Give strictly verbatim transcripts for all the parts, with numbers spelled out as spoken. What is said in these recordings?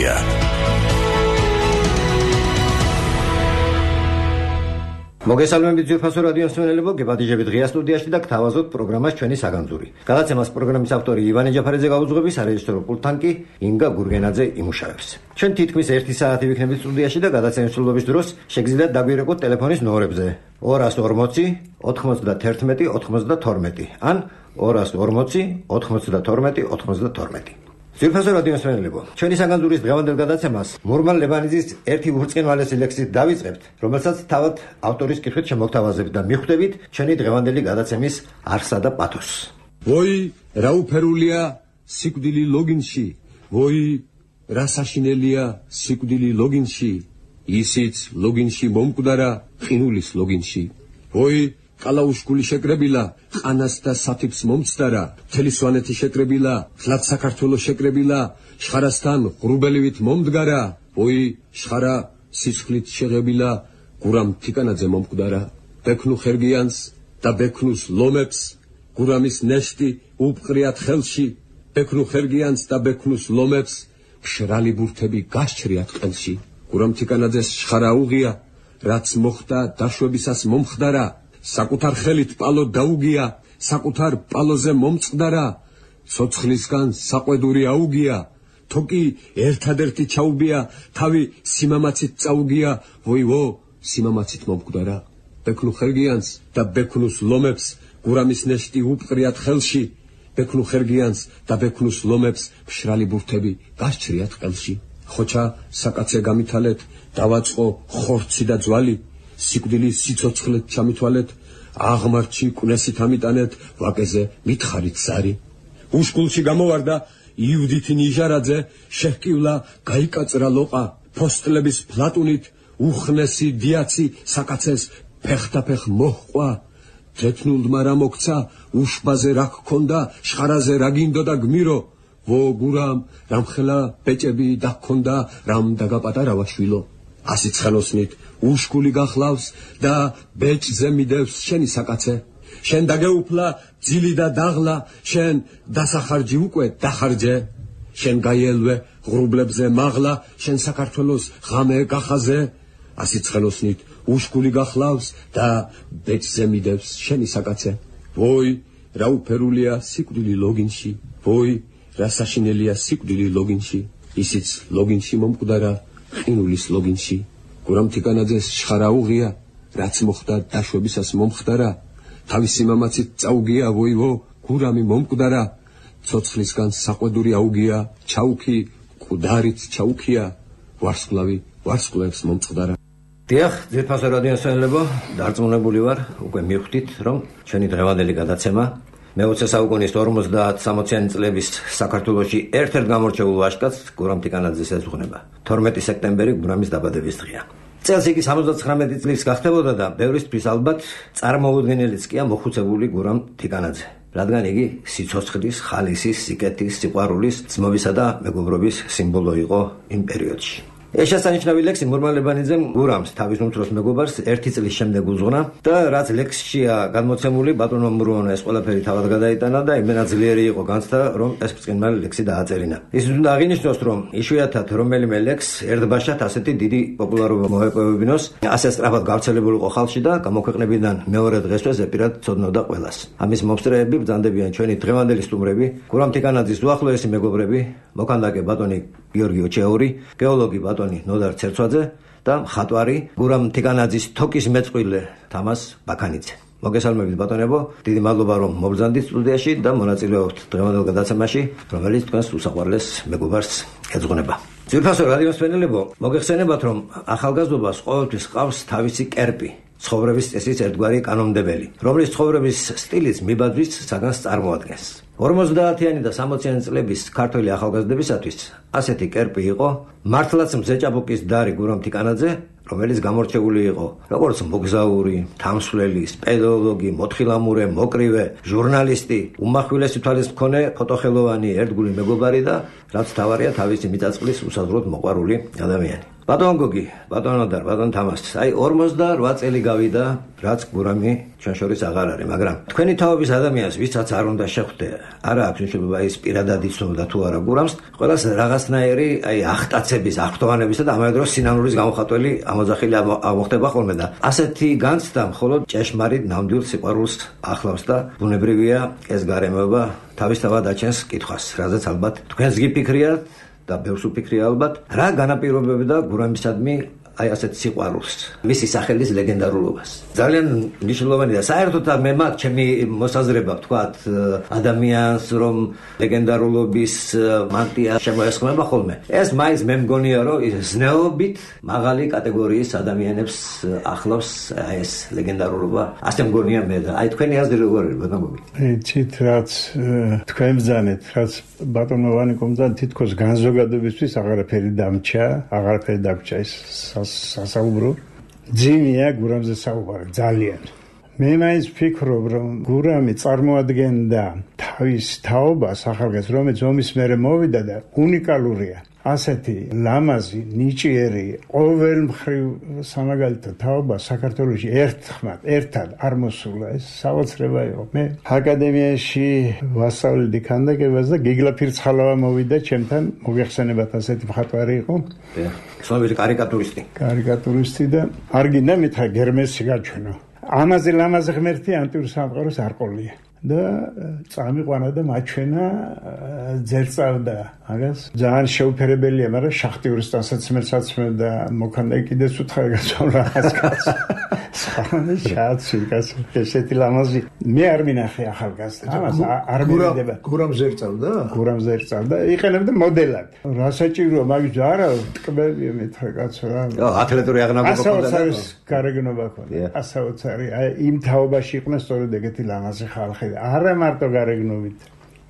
Media. მოგესალმებით ძვირფასო რადიო მსმენელებო, გებადიჟებით ღია სტუდიაში და გთავაზობთ პროგრამას ჩვენი საგანძური. გადაცემას პროგრამის ავტორი ივანე ჯაფარაძე გაუძღვების, სარეჟისორო პულტთან კი ინგა გურგენაძე იმუშავებს. ჩვენ თითქმის ერთი საათი ვიქნებით სტუდიაში და გადაცემის მსვლელობის დროს შეგიძლიათ დაგვირეკოთ ტელეფონის ნომრებზე ორას ორმოცი ოთხმოცდაათი ოცდათორმეტი ან ორას ორმოცი ოთხმოცდათორმეტი ოცდათორმეტი. ძვირფასო რადიო მსმენელებო, ჩვენი საგანძურის დღევანდელ გადაცემას მურმან ლებანიძის ერთი ბრწყინვალესი ლექსით დავიწყებთ, რომელსაც თავად ავტორის კითხვით შემოგთავაზებთ და მიხვდებით ჩვენი დღევანდელი გადაცემის არსა და პათოსს. ვოი, რა უფერულია სიკვდილი ლოგინში, ვოი, რა საშინელია სიკვდილი ლოგინში, ისიც ლოგინში მომკვდარა ყინულის ლოგინში. ვოი, ყალაუშკული შეკრებილა, ყანას და სათიფს მომცდარა, მთელი სვანეთი შეკრებილა, ხლად საქართველოს შეკრებილა, შხარასთან ღრუბელივით მომდგარა, ვოი, შხარა სისხლით შეღებილა, გურამ თიკანაძე მომკვდარა, ბექნუ ხერგიანს და ბექნუს ლომებს, გურამის ნეშტი უბყრიათ ხელში, ბექნუ ხერგიანს და ბექნუს ლომებს, მშრალი ბურთები გასჩრიათ ყელში. გურამ თიკანაძეს შხარა უღია, რაც მოხდა დაშვებისას მომხდარა, საკუთარ ხელით პალო დაუგია, საკუთარ პალოზე მომწყდარა, ცოცხლისგან საყვედური აუგია, თოკი ერთადერთი ჩაუბია, თავი სიმამაცით წაუგია, ვოივო, სიმამაცით მომკვდარა. ბექნუ ხერგიანს და ბექნუს ლომებს, გურამის ნეშტი უბყრიათ ხელში, ბექნუ ხერგიანს და ბექნუს ლომებს, მშრალი ბურთები გასჩრიათ ყელში. ხოჩა საკაცე გამითალეთ, დავაწყო ხორცი და ძვალი, სიკვდილი სიცოცხლეთ ჩამითვალეთ, აღმართში კვნესით ამიტანეთ, ვაკეზე მითხარით ზარი. უშკულში გამოვარდა იუდითი ნიჟარაძე, შეჰკივლა გაიკაწრა ლოყა, ფოსტლების ფლატუნით, უხნესი დიაცი საკაცეს ფეხთაფეხ მოჰყვა. თეთნულდმა რა მოგცა, უშბაზე რა გქონდა, შხარაზე რა გინდოდა გმირო, ვო გურამ რამხელა ბეჭები დაგქონდა, რამ დაგაპატარავა შვილო. ასიც ხანოსნით უშკული გახლავს და ბეჭზე მიდევს შენი საკაცე, შენ დაგეუფლა ძილი და დაღლა, შენ დასახარჯი უკვე დახარჯე, შენ გაიელვე ღრუბლებზე მაღლა, შენ საქართველოს ღამე გახაზე. ასიც ხანოსნით უშკული გახლავს და ბეჭზე მიდევს შენი საკაცე. ვოი, რა უფერულია სიკვდილი ლოგინში, ვოი, რა საშინელია სიკვდილი ლოგინში, ისიც ლოგინში მომკვდარა ყინულის ლოგინში. გურამ თიკანაძეს შხარა უღია, რაც მოხდა დაშვებისას მომხდარა, თავის სიმამაცით წაუგია, ვოივო, გურამი მომკვდარა, ცოცხლისგან საყვედური აუგია, ჩაუქი მკვდარით ჩაუქია, ვარსკვლავი ვარსკვლავებს მომწყდარა. დიახ, ძვირფასო რადიო მსმენელებო, დარწმუნებული ვარ, უკვე მიხვდით, რომ ჩვენი დღევანდელი გადაცემა მეოცე საუკუნის ორმოცდაათი წლების საქართველოში ერთ-ერთ გამორჩეულ ვაჟკაცს გურამ თიკანაძეს ეძღვნება. თორმეტი სექტემბერი გურამის დაბადების დღეა. წელს იგი სამოცდათხრამეტი წლის გახდებოდა და ბევრისთვის ალბათ წარმოუდგენელიც კი მოხუცებული გურამ თიკანაძე, რადგან იგი სიცოცხლის, ხალისის, სიკეთის, სიყვარულის, ძმობისა და მეგობრობის სიმბოლო იყო იმ პერიოდში. ეს შესანიშნავი ლექსი მურმან ლებანიძემ გურამს, თავის უმცროს მეგობარს, ერთი წლის შემდეგ უძღვნა და რაც ლექსშია გადმოცემული, ბატონო მურმანო ეს ყველაფერი თავად გადაიტანა და იმენა ძლიერი იყო განცდა, რომ ეს ბრწყინვალე ლექსი დააწერინა. ის უნდა აღინიშნოს, რომ იშვიათად რომელიმე ლექს ერთბაშად ასეთი დიდი პოპულარობა მოეპოვებინოს, ასე სწრაფად გავრცელებულიყო ხალხში და გამოქვეყნებიდან მეორე დღესვე ზეპირად ცოდნოდა ყველას. ამის მომსწრეები ბრძანდებიან ჩვენი დღევანდელი სტუმრები, გურამ თიკანაძის უახლოესი მეგობრები, მოქანდაკე ბატონი გიორგი ოჩეური, გეოლოგი ბატონი ნოდარ ცერცვაძე და მხატვარი გურამ თიკანაძის თოკის მეწყვილე თამას ბაქანიძე. მოგესალმებით ბატონებო, დიდი მადლობა რომ მობრძანდით სტუდიაში და მონაწილეობთ დღევანდელ გადაცემაში, რომელიც თქვენს უსაყვარლეს მეგობარს ეძღვნება. ძვირფასო რადიო მსმენელებო, მოგეხსენებათ, რომ ახალგაზრდობას ყოველთვის ჰყავს თავისი კერპი, ცხოვრების წესის ერთგვარი კანონმდებელი, რომლის ცხოვრების სტილიც მიბაძვის საგანს წარმოადგენს. ორმოცდაათიანი და სამოციანი წლების ქართველი ახალგაზრდებისათვის ასეთი კერპი იყო მართლაც მზეჭაბუკის დარი გურამ თიკანაძე, რომელიც გამორჩეული იყო როგორც მოგზაური, თამსვლელი, სპელეოლოგი, მოთხილამურე, მოკრივე, ჟურნალისტი, უმახვილესი თვალის მქონე, ფოტოხელოვანი, ერთგული მეგობარი და რაც თავარია თავისი მიწაწყლის უსაზღვროდ მოყვარული ადამიანი. ბატონ გოგი, ბატონო და ბატონ თამას, აი ორმოცდაოთხ წელი გავიდა, რაც გურამი ჩვენ შორის აღარ არის, მაგრამ თქვენი თაობის ადამიანს, ვისაც არ უნდა შეხვდე, არა აქვს მნიშვნელობა ის პირადად იცნობდა თუ არა გურამს, ყველას რაღაცნაირი აი ახტაცების, აღფრთოვანებისა და ამავე დროს სინანურის გამოხატველი ამოძახილი ამოხდება ხოლმე და ასეთი განცდა მხოლოდ ჭეშმარიტ ნამდვილ სიყვარულს ახლავს და ბუნებრივია ეს გარემოება თავისთავად აჩენს კითხვას, რაზეც ალბათ თქვენს გიფიქრიათ და ბევრს უფიქრია ალბათ, რა განაპირობებდა გურამისადმი აი ასეთ სიყვარულს, მისი სახელის ლეგენდარულობას. ძალიან მნიშვნელოვანი და საერთოდ მე მაგ ჩემი მოსაზრება ვთქვათ, ადამიანს რომ ლეგენდარულობის მანტია შემოესხმება ხოლმე. ეს მაინც მე მგონია რომ ზნეობით მაღალი კატეგორიის ადამიანებს ახლავს ეს ლეგენდარულობა. ასე მგონია მე და აი თქვენი აზრი როგორია ბატონო? იცით რაც თქვენ ბრძანეთ, რაც ბატონო ვანიკომ ბრძანეთ, თითქოს განზოგადებისთვის აღარაფერი დამჭა, აღარაფერი დამჭა ის სასაუბრო ძიმია გურამზე საუბარი ძალიან. მე მაინც ვფიქრობ რომ გურამი წარმოადგენდა თავის თაობას ახალგაზრდას, რომელიც ომის მერე მოვიდა და უნიკალურია. ასეთი ლამაზი, ნიჭიერი, ყოველმხრივ სამაგალითო თაობა საქართველოში ერთხმად, ერთად არ მოსულა. ეს საოცრება იყო. მე აკადემიაში ვასწავლედი ქანდაკებას და გიგლა ფირცხალავა მოვიდა ჩემთან, მოგეხსენებათ ასეთი მხატვარი იყო. ცნობილი კარიკატურისტი. კარიკატურისტი და არ გინდა მითხრა გერმესი გაჩვენო. ამაზე ლამაზი ღმერთი ანტიურ სამყაროს არ ყოლია. და წამიყვანა და მაჩვენა ძერწავდა მაგას ძალიან შეუფერებელია, მაგრამ შახტიურის დასაცმელსაც მე და მოქანდა კიდეც უთხარ გასვლა ასკაც სხანა შაცი გას ესეთი ლამაზი მე არ მინახე ახალგაზრდა ამას არ მივიდება. გურამ ზერწავდა? გურამ ზერწავდა, იყენებდა მოდელად. რა საჭიროა მაგის არა ტკბებია მეთქე კაცო რა. ათლეტური აღნაგობა ქონდა. ასაოცარი გარეგნობა ქონდა. ასაოცარი აი იმ თაობაში იყვნენ სწორედ ეგეთი ლამაზი ხალხი. არა მარტო გარეგნობით,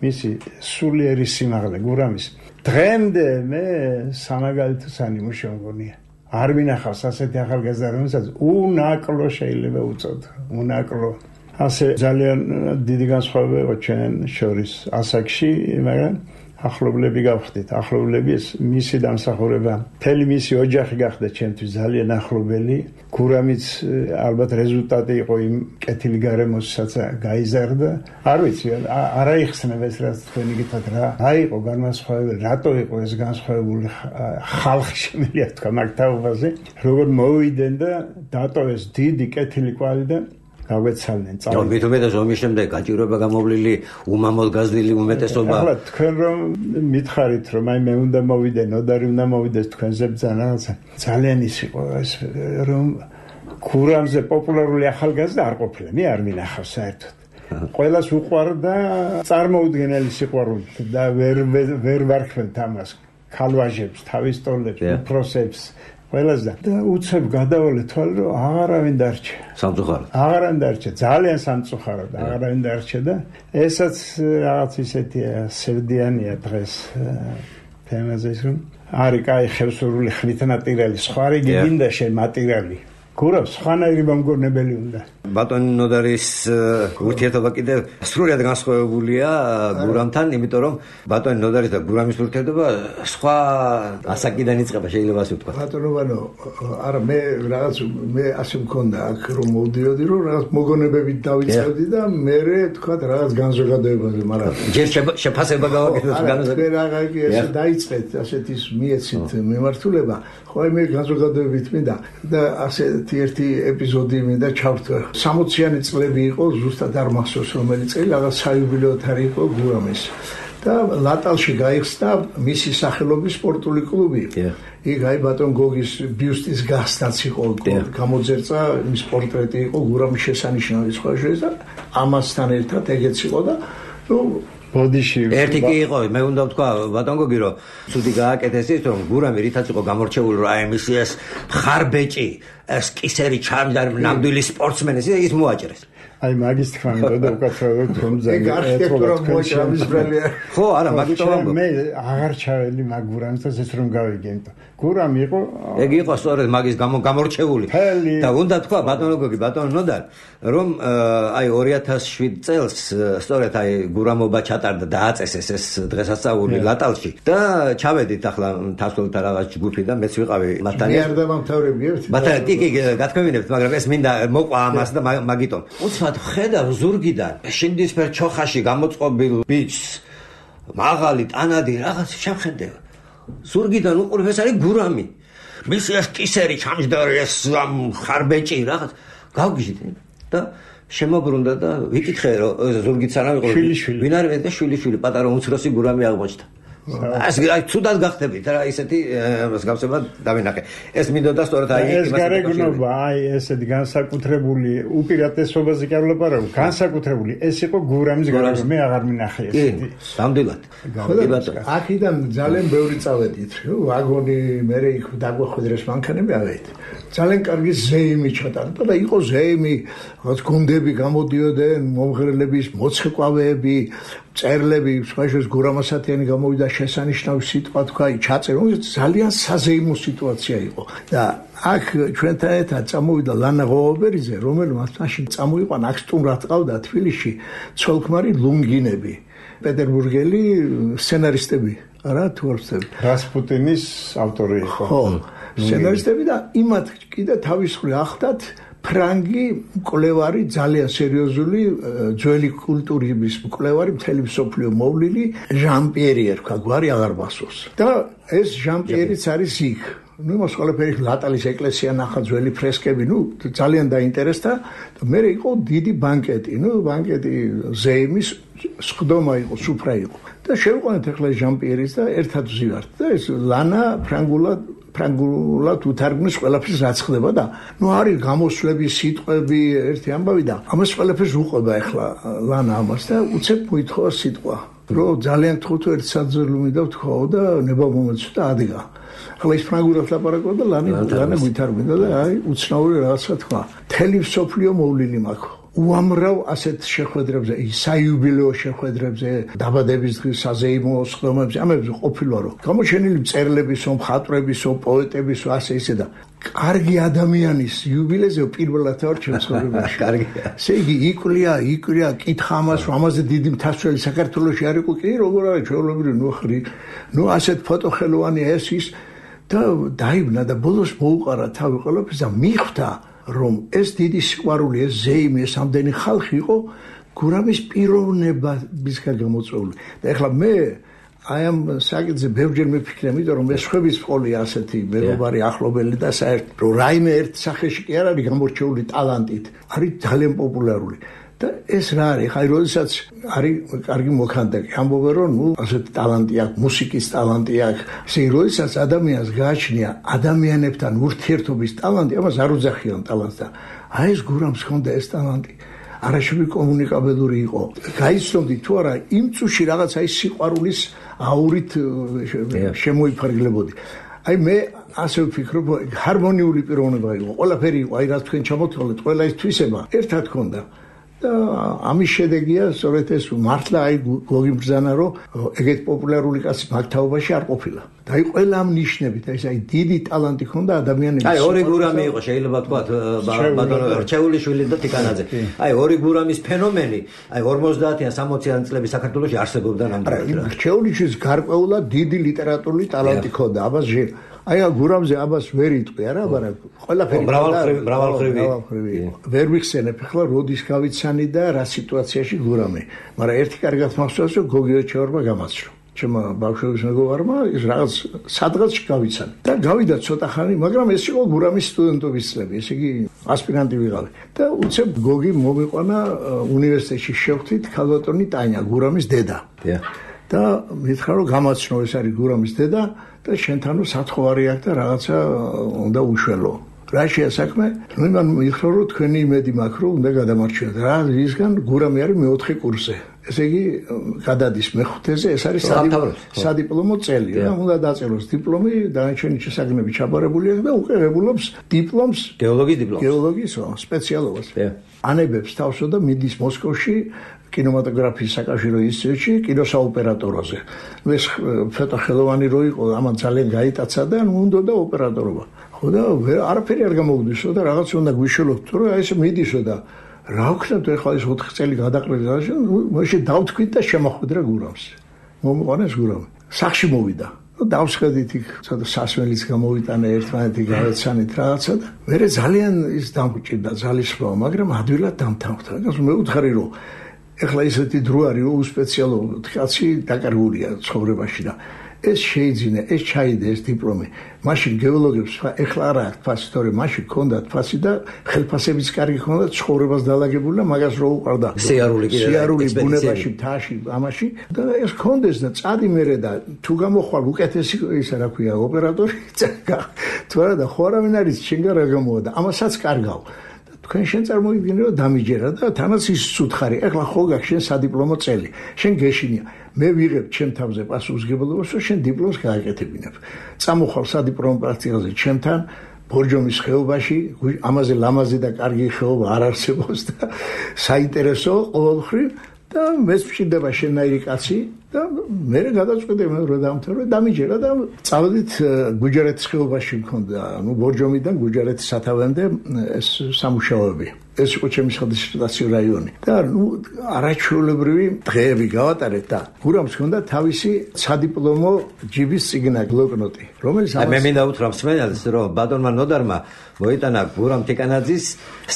მისი სულიერი სიმაღლე გურამის. დღემდე მე სამაგალითო სანიმუშო მგონია. არ მინახავს ასეთი ახალგაზრდა, რომელსაც უნაკლო შეიძლება უწოდო, უნაკლო. ასე ძალიან დიდი განსხვავება იყო ჩვენ შორის ასაკში, მაგრამ ახლობლები გავხდით. ახლობლები ეს მისი დამსახურება, მთელი მისი ოჯახი გახდა ჩემთვის ძალიან ახლობელი. გურამიც ალბათ რეზულტატი იყო იმ კეთილი გარემოსაც გაიზარდა. არ ვიცი, არ აიხსნება ეს რაც თქვენი გითხრათ რა. რა იყო განსხვავებული, რატო იყო ეს განსხვავებული ხალხი შემიძლია თქვა მაგ თაობაზე, როგორ მოვიდნენ და დატოვეს დიდი კეთილი კვალი და გაგვეცალნენ წავ. მით უმეტეს ომის შემდეგ გაჭირვება გამოვლილი, უმამოდ გაზრდილი უმეტესობა. ახლა თქვენ რომ მითხარით რომ აი მე უნდა მოვიდე, ნოდარი უნდა მოვიდეს თქვენზე ბრძანა, ძალიან ის იყო ეს რომ გურამზე პოპულარული ახალგაზრდა არ ყოფილა, მე არ მინახავს საერთოდ. ყველას უყვარდა წარმოუდგენელი სიყვარული და ვერ ვერ ვარქმევთ ამას. ქალვაჟებს, თავის ტოლებს, უფროსებს ყველას და უცებ გადავალე თვალე რომ აღარავინ დარჩა. სამწუხაროდ. აღარავინ დარჩა, ძალიან სამწუხაროდ აღარავინ დარჩა და ესაც რაღაც ისეთია სევდიანია დღეს თემაზე ის რომ არის კაი ხევსურული ხნით ნატირალი, სხვა რიგი გინდა შენ მატირალი. გურამს სხვანაირი მომგონებელი უნდა. ბატონ ნოდარის ურთიერთობა კიდევ სრულად განსხვავებულია გურამთან, იმიტომ რომ ბატონ ნოდარის და გურამის ურთიერთობა სხვა ასაკიდან იწყება, შეიძლება ასე ვთქვა. ბატონო, არა მე რაღაც მე ასე მქონდა აქ რომ მოვდიოდი რომ რაღაც მოგონებებით დავიწყებდი და მე თქვა რაღაც განზოგადებაზე, მაგრამ ჯერ შეფასება გავაკეთოთ განზოგადებით. მე რაღაც კი ესე დაიწყეთ, ასეთ ის მიეცით მიმართულება, ხო მე განზოგადებებით მინდა და ასეთი ერთი ეპიზოდი მინდა ჩავთვალე. სამოციანი წლები იყო, ზუსტად არ მახსოვს რომელი წელი, რაღაც საიუბილეო თარი იყო გურამის. და ლატალში გაიხსნა მისი სახელობის სპორტული კლუბი. იქ აი ბატონ გოგის ბიუსტის გასნაც იყო, გამოძერწა ის პორტრეტი იყო გურამის შესანიშნავი სხვა შორის და ამასთან ერთად ეგეც იყო და ნუ ბოდიში ერთი კი იყო, მე უნდა ვთქვა ბატონ გოგი რომ ცუდი გააკეთეს ის რომ გურამი რითაც იყო გამორჩეული რომ აი მისი ეს მხარბეჭი, ეს კისერი ჩამდა ნამდვილი სპორტსმენი ის მოაჭრეს. აი მაგის თქმა უნდა უკაცრავად თქო ეგ არქიტექტურა მოიჭრამის ბრალია ხო არა მაგიტომ მე აღარ ჩაველი მაგ გურამს და ზეც რომ გავიგენ გურამი იყო ეგ იყო სწორედ მაგის გამორჩეული და უნდა თქვა ბატონო გოგი ბატონო ნოდარ რომ აი ორი ათას შვიდ წელს სწორედ აი გურამობა ჩატარდა და აწესეს ეს დღესასწაული ლატალში და ჩავედით ახლა თასველთა რაღაც ჯგუფი და მეც ვიყავი მათთან მე არ დამამთავრები ერთი მათთან კი კი გათქვევინებთ მაგრამ ეს მინდა მოყვა ამას და მაგიტომ უცბად ხედავ ზურგიდან შინდისფერ ჩოხაში გამოწყობილ ბიჭს მაღალი ტანადი რაღაც შევხედე ზურგიდან უყურებ ეს არის გურამი მის ეს კისერი ჩამჯდარი ეს ხარბეჭი რაღაც გავგიჟდი და შემოbrunდა და ვიკითხე რომ ზურგიც არა ვიყო ვინ არის და შვილი შვილი პატარა უმცროსი გურამი აღმოჩნდა ეს აი თუდად გახდებით რა ისეთი მსგავსება დავინახე ეს მინდოდა სწორედ აი ეს გარეგნობა აი ესეთი განსაკუთრებული უპირატესობაზე კი არ ვლაპარაკობ განსაკუთრებული ეს იყო გურამის გარეგნობა მე აღარ მინახე ესეთი სამდელად აქედან ძალიან ბევრი წავედით ვაგონი მე იქ დაგვახვედრეს მანქანები ავედით ძალიან კარგი ზეიმი ჩატარდა და იყო ზეიმი რაღაც გუნდები გამოდიოდნენ მომღერლების მოცეკვავეები წერლები სხვაშორის გურამასათიანი გამოვიდა შესანიშნავი სიტყვა თქვა ჩაწერო ძალიან საზეიმო სიტუაცია იყო და აქ ჩვენთან ერთად წამოვიდა ლანა ღოვაბერიძე რომელმაც მაშინ წამოიყვანა აქ სტუმრად ყავდა თბილისში ცოლქმარი ლუნგინები პეტერბურგელი სცენარისტები არა თუ არ ვცდები რასპუტინის ავტორი იყო ხო სცენარისტები და იმათ კიდე თავისხრი ახლდათ ფრანგი მკვლევარი ძალიან სერიოზული ძველი კულტურის მკვლევარი მთელი მსოფლიო მოვლილი ჟან პიერი ერქვა გვარი აღარ მახსოვს და ეს ჟან პიერიც არის იქ ну იმას ყველაფერი ლატალის ეკლესია ნახა ძველი ფრესკები ну ძალიან დაინტერესდა და მე იყო დიდი ბანკეტი ну ბანკეტი ზეიმის სხდომა იყო სუფრა იყო და შევყვანეთ ახლა ჟან პიერის და ერთად ვზივართ და ეს ლანა ფრანგულად ფრანგულად უთარგმნის ყველაფერს რაც ხდება და ნუ არის გამოსვლები სიტყვები ერთი ამბავი და ამას ყველაფერს უყვება ახლა ლანა ამას და უცებ მოითხოვა სიტყვა რომ ძალიან თხოვთ ერთ საძველი მინდა ვთქვაო და ნება მომეცვა და ადგა ახლა ის ფრანგულად ლაპარაკობდა და ლანა ლანა ვითარგმნა და აი უცნაური რაღაცა თქვა თელი სოფლიო მოვლილი მაქვს უამრავ ასეთ შეხვედრებზე, საიუბილეო შეხვედრებზე, დაბადების დღის საზეიმო სხდომებზე, ამებზე ყოფილა რომ გამოჩენილი მწერლებისო, მხატვრებისო, პოეტებისო, ასე ისე და კარგი ადამიანის იუბილეზე პირველად ვარ ჩემ ცხოვრებაში. კარგია. ესე იგი იკვლია, იკვლია, კითხა ამას, რომ ამაზე დიდი მთასველი საქართველოში არ იყო კი, როგორ არის ჩვეულებრივი ნუხრი, ნუ ასეთ ფოტოხელოვანი ეს ის და დაიბნა და ბოლოს მოუყარა თავი ყველაფერს და მიხვდა რომ ეს დიდი სიყვარული, ეს ზეიმი, ეს ამდენი ხალხი იყო გურამის პიროვნებისგან გამოწვეული. და ეხლა მე აი ამ საკითხზე ბევრჯერ მიფიქრე, იმიტომ რომ ეს ხვების ყოლია ასეთი მეგობარი ახლობელი და საერთოდ რომ რაიმე ერთ სახეში კი არ არის გამორჩეული ტალანტით, არის ძალიან პოპულარული. და ეს რა არის? ხაი როდესაც არის კარგი მოქანდაკე, ამბობენ რომ ნუ ასეთი ტალანტი აქვს, მუსიკის ტალანტი აქვს. ესე იგი, როდესაც ადამიანს გააჩნია ადამიანებთან ურთიერთობის ტალანტი, ამას არ უძახიან ტალანტს და აი ეს გურამს ჰქონდა ეს ტალანტი. არაშევი კომუნიკაბელური იყო. გაიცნობდი თუ არა იმ წუთში რაღაცა ის სიყვარულის აურით შემოიფარგლებოდი. აი მე ასე ვფიქრობ, ჰარმონიული პიროვნება იყო. ყველაფერი იყო, აი რაც თქვენ ჩამოთვალეთ, ყველა ის თვისება ერთად ჰქონდა. და ამის შედეგია სწორედ ეს მართლა აი გოგი ბრძანა რომ ეგეთ პოპულარული კაცი მაგთაობაში არ ყოფილა. და აი ყველა ამ ნიშნებით ეს აი დიდი ტალანტი ჰქონდა ადამიანების. აი ორი გურამი იყო შეიძლება თქვათ ბატონო რჩეულიშვილი და ტიკანაძე. აი ორი გურამის ფენომენი აი ორმოცდაათიან სამოციან წლების საქართველოში არსებობდა ნამდვილად. რჩეულიშვილის გარკვეულად დიდი ლიტერატურული ტალანტი ჰქონდა. აბას აი გურამზე აბას ვერ იტყვი არა, მაგრამ ყველაფერი მრავალხრივი ვერ ვიხსენებ ახლა როდის გავიცანი და რა სიტუაციაში გურამი. მაგრამ ერთი კარგად მახსოვს რომ გოგი ოჩეორმა გამაცნო. ჩემო ბავშვების მეგობარმა ის რაღაც სადღაც გავიცანი. და გავიდა ცოტა ხანი, მაგრამ ეს იყო გურამის სტუდენტობის წლები, ესე იგი ასპირანტი ვიყავი. და უცებ გოგი მომიყვანა უნივერსიტეტში შევხვდით ქალბატონი ტანია, გურამის დედა. და მითხრა რომ გამაცნო ეს არის გურამის დედა და შენთანო სათხოვარი აქვს და რაღაცა უნდა უშველო. რა შეასაქმე? ნუ იმან მითხრა რომ თქვენი იმედი მაქვს რომ უნდა გადამარჩიოთ. რა ისგან გურამი არის მეოთხე კურსზე. ესე იგი გადადის მეხუთეზე, ეს არის სადიპლომო წელი და უნდა დაწეროს დიპლომი, დანარჩენი შესაძლებლები ჩაბარებულია და უკვე ღებულობს დიპლომს, გეოლოგიის დიპლომს, გეოლოგიის სპეციალობას. ანებებს თავსო და მიდის მოსკოვში კინემატოგრაფიის საკავშირო ინსტიტუტში კინოსაოპერატოროზე. ეს ცოტა ხელოვანი რო იყო, ამან ძალიან გაიტაცა და უნდა და ოპერატორობა. ხო და არაფერი არ გამოგვდისო და რაღაც უნდა გვიშველოთ, რომ აი ესე მიდისო და რა ვქნათ ახლა ეს ოთხი წელი გადაყრილი და მაშინ დავთქვით და შემოხვედრა გურამს. მომყვანეს გურამი. სახში მოვიდა. დავსხედით იქ ცოტა სასმელიც გამოვიტანა ერთმანეთი გავეცანით რაღაცა და მე ძალიან ის დამჭირდა ძალისხმევა, მაგრამ ადვილად დამთავრდა. გასულ მე უთხარი რომ ეხლა ისეთი დრო არის რომ უსპეციალურად კაცი დაკარგულია ცხოვრებაში და ეს შეიძინა, ეს ჩაიდე ეს დიპლომი. მაშინ გეოლოგებს ეხლა არა თვალს თორე მაშინ ქონდა თვალსი და ხელფასებიც კარგი ქონდა, ცხოვრებას დაალაგებული და მაგას რო უყარდა. სიარული კიდე სიარული ბუნებაში, მთაში, ამაში და ეს ქონდეს და წადი მერე და თუ გამოხვალ უკეთესი ისა რა ქვია ოპერატორი თუ არა და ხო არავინ არის შენგან რა გამოვა და ამასაც კარგავ. თქვენ შენ წარმოვიდგინე რომ დამიჯერა და თანაც ის სუთხარი ეხლა ხო გაქვს შენ სადიპლომო წელი შენ გეშინია მე ვიღებ ჩემ თავზე პასუხისგებლობას რომ შენ დიპლომს გააკეთებინებ წამოხვალ სადიპლომო პრაქტიკაზე ჩემთან ბორჯომის ხეობაში ამაზე ლამაზი და კარგი ხეობა არ არსებობს და საინტერესო ყოველხრივ და მეც მშვიდება შენაირი კაცი და მე გადაწყვეტე მე რომ დამთავრე დამიჯერა და წავედით გუჯარეთის ხეობაში მქონდა ანუ ბორჯომიდან გუჯარეთის სათავემდე ეს სამუშაოები ეს იყო ჩემი სადისერტაციო რაიონი და ნუ არაჩვეულებრივი დღეები გავატარეთ და გურამს ჰქონდა თავისი სადიპლომო ჯიბის წიგნა ბლოკნოტი რომელიც მე მინდა უთხრა მსმენელს რომ ბატონმა ნოდარმა მოიტანა გურამ თიკანაძის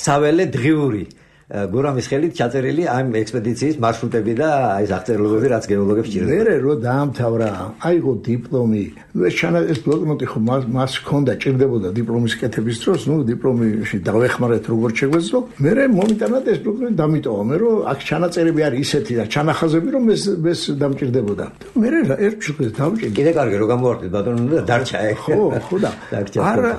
საველე დღიური გურამის ხელით ჩაწერილი ამ ექსპედიციის მარშრუტები და აი ეს აღწერილობები რაც გეოლოგებს ჭირდება. მერე რო დაამთავრა, აიღო დიპლომი. ეს ჩანა ეს ბლოკნოტი ხო მას ჰქონდა, ჭირდებოდა დიპლომის კეთების დროს, ნუ დიპლომში დავეხმარეთ როგორ შეგვეძლო. მერე მომიტანა და ეს ბლოკნოტი დამიტოვა. მე რომ აქ ჩანაწერები არის ისეთი და ჩანახაზები რომ ეს ეს დამჭირდებოდა. მერე ერთ შუქეს დავჭირდა. კიდე კარგი რო გამოვარდით ბატონო და დარჩა ეგ. ხო, ხო და არა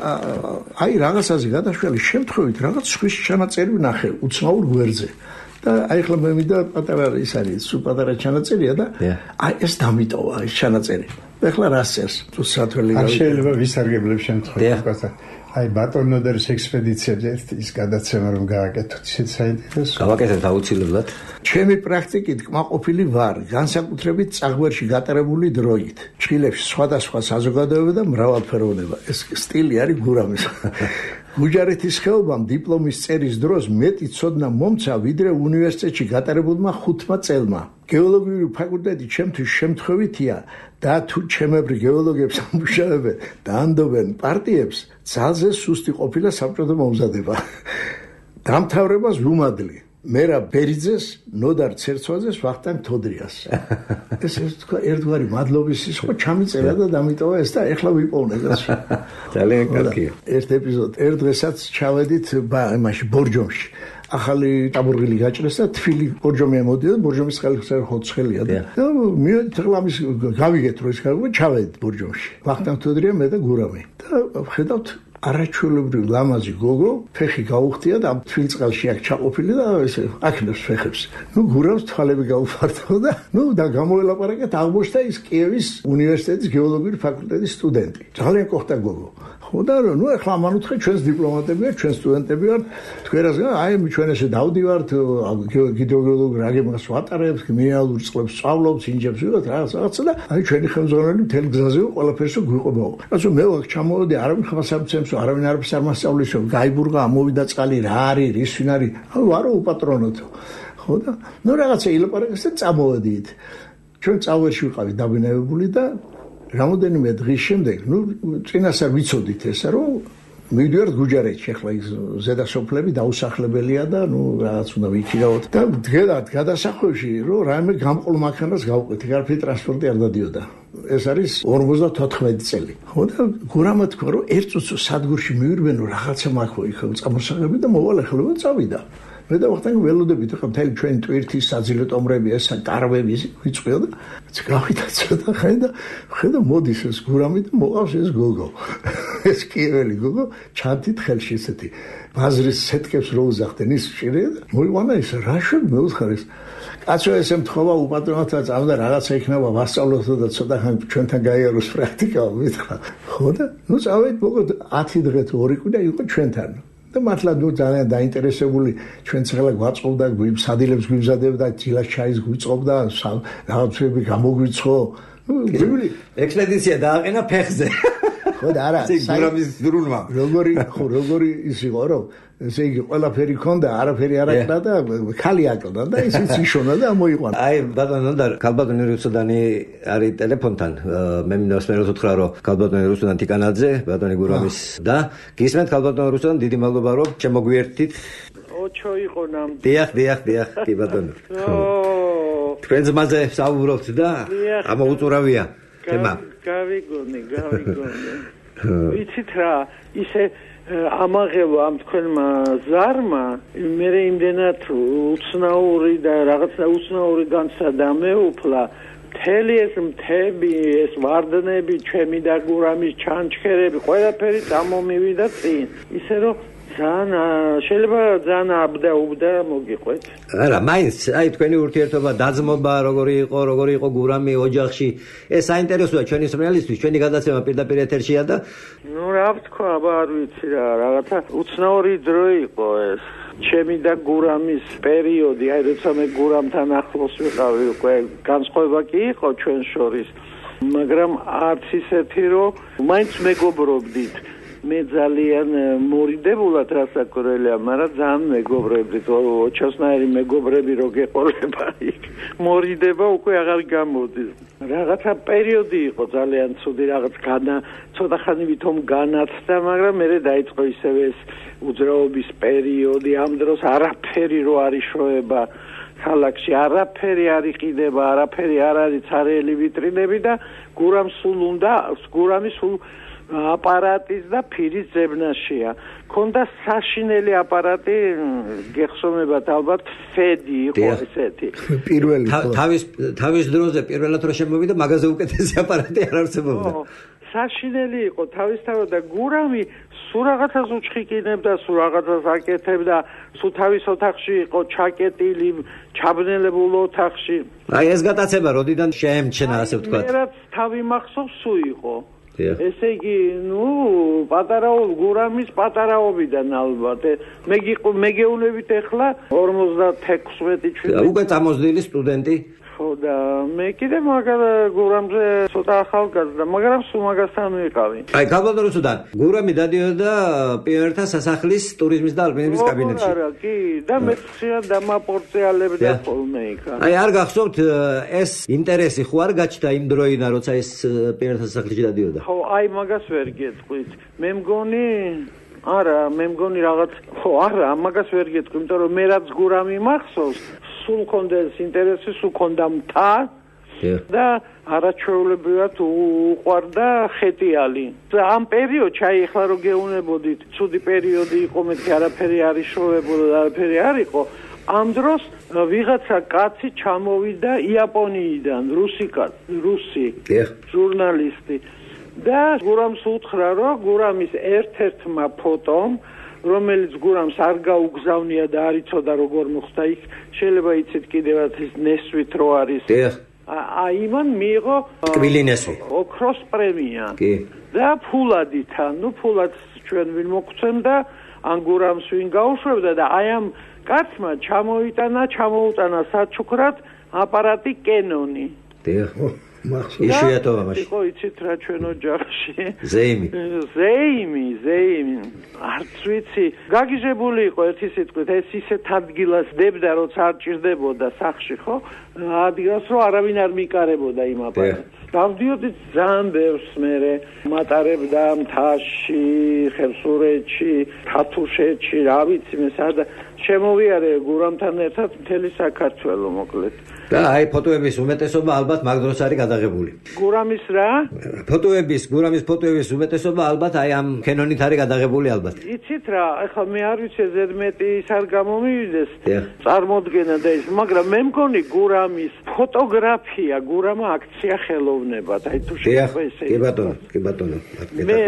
აი რაღაცაზე გადაშვალი შემთხვევით რაღაც სხვის ჩანაწერი ვნახე, უცნაურ გვერდზე და აი ხლა მე მინდა პატარა ის არის სულ პატარა ჩანაწერია და აი ეს დამიტოვა ეს ჩანაწერი ეხლა რას წერს თუ სათველი არ შეიძლება ვისარგებლებ შემთხვევაში აი ბატონო დერის ექსპედიციებზე ის გადაცემა რომ გააკეთოთ ისეთ საინტერესო გავაკეთეთ აუცილებლად ჩემი პრაქტიკით კმაყოფილი ვარ განსაკუთრებით წაღვერში გატარებული დროით ჩხილებში სხვადასხვა საზოგადოება და მრავალფეროვნება ეს სტილი არის გურამის გუჯარეთის ხეობამ დიპლომის წერის დროს მეტი ცოდნა მომცა ვიდრე უნივერსიტეტში გატარებულმა ხუთმა წელმა გეოლოგიური ფაკულტეტი ჩემთვის შემთხვევითია და თუ ჩემებრი გეოლოგებს ამუშავებენ და ანდობენ პარტიებს ძალზე სუსტი ყოფილა საბჭოთა მომზადება დამთავრებას ვუმადლი მერა ბერიძეს ნოდარ ცერცვაძეს ვახტანგ თოდრიას ეს ერთგვარი მადლობის ის ხო ჩამიწერა და დამიტოვა ეს და ეხლა ვიპოვნე გასში ძალიან კარგია ერთ ეპიზოდ ერთ დღესაც ჩავედით იმაში ბორჯომში ახალი ჭაბურღილი გაჭრეს და თბილი ბორჯომი ამოდია და ბორჯომის ხელხსა ხოცხელია და მივედით ახლა ამის გავიგეთ რომ ეს გავიგეთ ჩავედით ბორჯომში ვახტანგ თოდრია მე და გურამი და ხედავთ არაჩვეულებრივ ლამაზი გოგო ფეხი გაუხტია და თბილ წყალში აქ ჩაყოფილი და ესე აქნებს ფეხებს. ნუ გურავს თვალები გაუფარდა და ნუ და გამოელაპარაკეთ აღმოჩნდა ის კიევის უნივერსიტეტის გეოლოგიური ფაკულტეტის სტუდენტი. ძალიან კოხტა გოგო. ხო და ნუ ახლა ამან უთხრე ჩვენს დიპლომატები ვართ, ჩვენ სტუდენტები ვართ. თქვენას აი ჩვენ ესე დავდივართ გიდროგეოლოგ რაგებას ვატარებთ, მინერალურ წყლებს სწავლობთ, ინჟინერებს ვიღოთ რაღაც რაღაცა და აი ჩვენი ხელმძღვანელი მთელი გზაზე ყველაფერს გვიყვებაო. რადგან მე ვარ ჩამოვედი არავინ ხმას ამცემს არავინ არაფერს არ მასწავლისო გაიბურღა ამოვიდა წყალი რა არის რის ვინ არის ანუ ვარო უპატრონოთო ხო და ნუ რაღაცა ილაპარაკეს და წამოვედით ჩვენ წავერში ვიყავით დაბინავებული და რამოდენიმე დღის შემდეგ ნუ წინასწარ ვიცოდით ესა რომ მივიდივართ გუჯარეთში ახლა ის ზედასოფლები დაუსახლებელია და ნუ რაღაც უნდა ვიქირავოთ და დღედათ გადასახვევში რომ რაიმე გამყოლ მანქანას გავყვეთ გარფი ტრანსპორტი არ დადიოდა ეს არის ორმოცდათოთხმეტი წელი ხო და გურამა თქვა რომ ერთ წუთს სადგურში მივირბენო რაღაცა მაქვს იქ წამოსაღები და მოვალ ახლა წავიდა მე დავახტანგ ველოდებით ხა მთელი ჩვენი ტვირთის საძილე ტომრები ესა კარვები ვიწვიო და გავიდა ცოტა ხანი და ხედა მოდის ეს გურამი და მოყავს ეს გოგო ეს კიეველი გოგო ჩანთით ხელში ესეთი ბაზრის სეტკებს რო უზახდნენ ის ჭირე და მოიყვანა ის რა შევ მეუთხარ ეს კაცო ესე მთხოვა უპატრონოთა წავდა რაღაცა იქნება ვასწავლოთ და ცოტა ხანი ჩვენთან გაიაროს პრაქტიკა მითხრა ხო და ნუ წავედ მოგოდ ათი დღე თუ ორი კვირა იყო ჩვენთან და მართლა ნუ ძალიან დაინტერესებული ჩვენ ცხრა გვაწყობდა სადილებს გვიმზადებდა ძილას ჩაის გვიწყობდა რაღაცები გამოგვიცხო ექსპედიცია დააყენა ფეხზე ხო და არა გურამის დრულმა როგორი ხო როგორი ის იყო რომ ესე იგი ყველაფერი ქონდა არაფერი არ აკდა და ხალი აკდა და ისიც იშონა და მოიყვანა აი ბატონო და ქალბატონი რუსუდანი არის ტელეფონთან მე მინდა სპერო უთხრა რომ ქალბატონი რუსუდან ტიკანაძე ბატონი გურამის და გისმენთ ქალბატონი რუსუდან დიდი მადლობა რომ შემოგვიერთით ოჩო იყო ნამ დიახ დიახ დიახ კი ბატონო თქვენ ძმაზე საუბრობთ და ამოუწურავია თემა გავიგონი გავიგონი ვიცით რა ისე ამაღელვა ამ თქვენმა ზარმა მე იმდენად უცნაური და რაღაცა უცნაური განცადა მეუფლა მთელი ეს მთები ეს ვარდნები ჩემი და გურამის ჩანჩქერები ყველაფერი წამომივიდა წინ ისე რომ ძალიან შეიძლება ძალიან აბდა უბდა მოგიყვეთ არა მაინც აი თქვენი ურთიერთობა დაძმობა როგორი იყო როგორი იყო გურამი ოჯახში ეს საინტერესოა ჩვენი სმელისთვის ჩვენი გადაცემა პირდაპირ ეთერშია და ნუ რა ვთქვა აბა არ ვიცი რა რაღაცა უცნაური დრო იყო ეს ჩემი და გურამის პერიოდი აი როცა მე გურამთან ახლოს ვიყავი უკვე განსხვავება კი იყო ჩვენ შორის მაგრამ არც ისეთი რომ მაინც მეგობრობდით მე ძალიან მორიდებულად რასაკურელია, მაგრამ ძალიან მეგობრები, ოჩასნაირი მეგობრები რო გეყოლება იქ. მორიდება უკვე აღარ გამოდის. რაღაცა პერიოდი იყო ძალიან ცუდი, რაღაც განა, ცოტა ხანი ვითომ განაცდა, მაგრამ მე დაიწყო ისევე ეს უძრაობის პერიოდი, ამ დროს არაფერი რო არ იშოება ქალაქში, არაფერი არ იყიდება, არაფერი არ არის ცარიელი ვიტრინები და გურამს სულ უნდა, გურამის სულ აპარატის და ფირის ძებნაშია. ქონდა საშინელი აპარატი, გეხსოვებათ ალბათ ფედი იყო ესეთი. პირველი თავის თავის დროზე პირველად რო შემოვიდა, მაგაზე უკეთესი აპარატი არ არსებობდა. საშინელი იყო თავისთავად და გურამი სულ რაღაცას უჩხიკინებდა, სულ რაღაცას აკეთებდა, სულ თავის ოთახში იყო ჩაკეტილი, ჩაბნელებულ ოთახში. აი ეს გატაცება როდიდან შეემჩენა, ასე ვთქვათ. მე რაც თავი მახსოვს სულ იყო. ესე იგი, ნუ, პატარაო გურამის პატარაობიდან ალბათ. მე მეგეუნებით ახლა ორმოცდათექვსმეტი ჩვენი. უკვე წამოსდილი სტუდენტი. ხო და მე კიდე მაგარ გურამზე ცოტა ახალგაზრდა, მაგრამ სულ მაგასთან ვიყავი. აი, ქალბატონოსთან გურამი დადიოდა პიონერთა სასახლის ტურიზმის და ალპინიზმის კაბინეტში. არა, კი, და მე ხშირად დამაპორწეალებდა ხოლმე იქ. აი, არ გახსოვთ ეს ინტერესი ხო არ გაჩნდა იმ დროიდან, როცა ეს პიონერთა სასახლში დადიოდა? ხო, აი მაგას ვერ გეტყვით. მე მგონი არა, მე მგონი რაღაც ხო, არა, მაგას ვერ გეტყვი, იმიტომ რომ მე რაც გურამი მახსოვს სულ კონდა ეს ინტერესი, სულ კონდა მთა და არაჩვეულებრივად უყვარდა ხეტიალი. ამ პერიოდში, აი ახლა რო გეუნებოდით, ცუდი პერიოდი იყო, მეთქი არაფერი არ იშოვებოდა, არაფერი არ იყო. ამ დროს ვიღაცა კაცი ჩამოვიდა იაპონიიდან, რუსი კაცი, რუსი ჟურნალისტი. და გურამს უთხრა, რომ გურამის ერთ-ერთმა ფოტომ რომელიც გურამს არ გაუგზავნია და არ იცოდა როგორ მოხდა იქ, შეიძლება იცით კიდევაც ის ნესვით რო არის. აი იმან მიიღო კვილინესვი. ოქროს პრემია. კი. და ფულადით, ნუ ფულადს ჩვენ ვინ მოგცემდა, ან გურამს ვინ გაუშვებდა და აი ამ კაცმა ჩამოიტანა, ჩამოუტანა საჩუქრად აპარატი კენონი. დიახ. იშვიათობა მაშინ. იყო იცით რა ჩვენ ოჯახში. ზეიმი. ზეიმი, ზეიმი. არც ვიცი, გაგიჟებული იყო ერთი სიტყვით, ეს ისეთ ადგილას დებდა, როცა არ ჭირდებოდა სახში, ხო? ადგილას რო არავინ არ მიკარებოდა იმ აპარატს. დავდიოდით ძალიან ბევრს მერე, მატარებდა მთაში, ხევსურეთში, თათუშეთში, რა ვიცი მე სადა შემოვიარე გურამთან ერთად მთელი საქართველო მოკლედ. და აი ფოტოების უმეტესობა ალბათ მაგ დროს არის გადაღებული. გურამის რა? ფოტოების, გურამის ფოტოების უმეტესობა ალბათ აი ამ კენონით არის გადაღებული ალბათ. იცით იცით რა, ეხლა მე არ ვიცი ზედმეტი ის არ გამომივიდეს წარმოდგენა და ის, მაგრამ მე მგონი გურამის ფოტოგრაფია, გურამა აქცია ხელოვნებად. აი თუ შეიძლება ესე. კი ბატონო, კი ბატონო. მე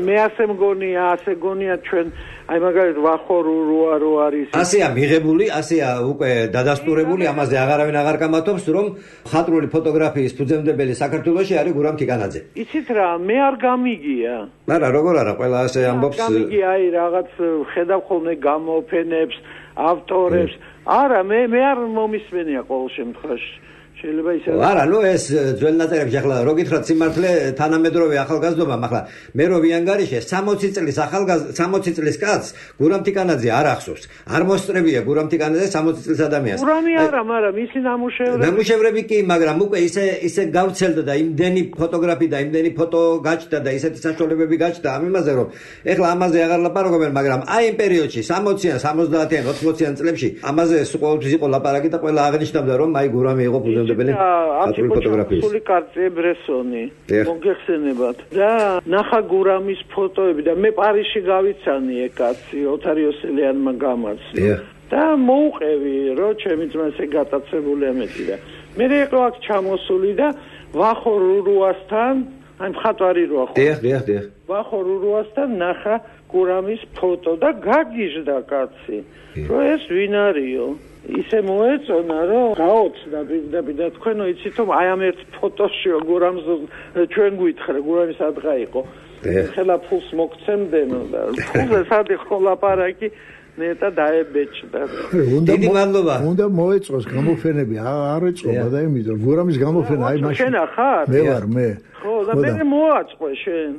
მე ასე მგონია, ასე გონია ჩვენ აი მაგალითად ვახორო როა რო არის. ასეა მიღებული, ასეა უკვე დადასტურებული, ამაზე აღარავინ აღარ გამათობს, რომ ხატრული ფოტოგრაფიის ფუძემდებელი საქართველოში არის გურამ თიკანაძე. იცით რა, მე არ გამიგია. არა, როგორ არა, ყველა ასე ამბობს. გამიგია, აი რაღაც ხედავ ხოლმე გამოფენებს, ავტორებს. არა, მე მე არ მომისმენია ყოველ შემთხვევაში. შეიძლება ისე არა, ნუ ეს ძველ ნაწერებში ახლა რო გითხრათ სიმართლე თანამედროვე ახალგაზრდობა, ახლა მე რო ვიანგარიშე სამოცი წლის ახალგაზრდა სამოცი წლის კაცს გურამ თიკანაძე არ ახსოვს. არ მოსწრებია გურამ თიკანაძე სამოცი წლის ადამიანს. გურამი არა, მაგრამ ისი ნამუშევრები. ნამუშევრები კი, მაგრამ უკვე ისე ისე გავცელდა და იმდენი ფოტოგრაფი და იმდენი ფოტო გაჩნდა და ისეთი საშუალებები გაჩნდა ამ იმაზე, რომ ეხლა ამაზე აღარ ლაპარაკობენ, მაგრამ აი იმ პერიოდში სამოციან, სამოცდაათიან, ოცდაათიან წლებში ამაზე ყოველთვის იყო ლაპარაკი და ყველა აღნიშნავდა, რომ აი გურამი იყო ფუძემდებელი. აფრიკული კარტე ბრესონი მოგეხსენებათ და ნახა გურამის ფოტოები და მე პარიზში გავიცანი ეკაცი ოთარიოსელიანმა გამაცნო და მოუყევი რომ ჩემი ძმა ესე გატაცებული ამეთი და მე იყო აქ ჩამოსული და ვახო რურუასთან აი მხატვარი როა ხო დიახ დიახ დიახ ვახო რურუასთან ნახა გურამის ფოტო და გაგიჟდა კაცი რომ ეს ვინ არისო ისე მოეწონა რომ გაოცდა პირდაპირ თქვენო იცით რომ აი ამ ერთ ფოტოშიო გურამს ჩვენ გვითხრა გურამის ადღა იყო ხელა ფულს მოგცემდენო და ფულზე სად იყო ლაპარაკი ნეტა დაებეჭდა დიდი მადლობა უნდა მოეწოს გამოფენები არ ეწყობა და იმიტომ გურამის გამოფენა აი მაშინ შენ ახარ მე ვარ მე ხო და მე მოაწყვე შენ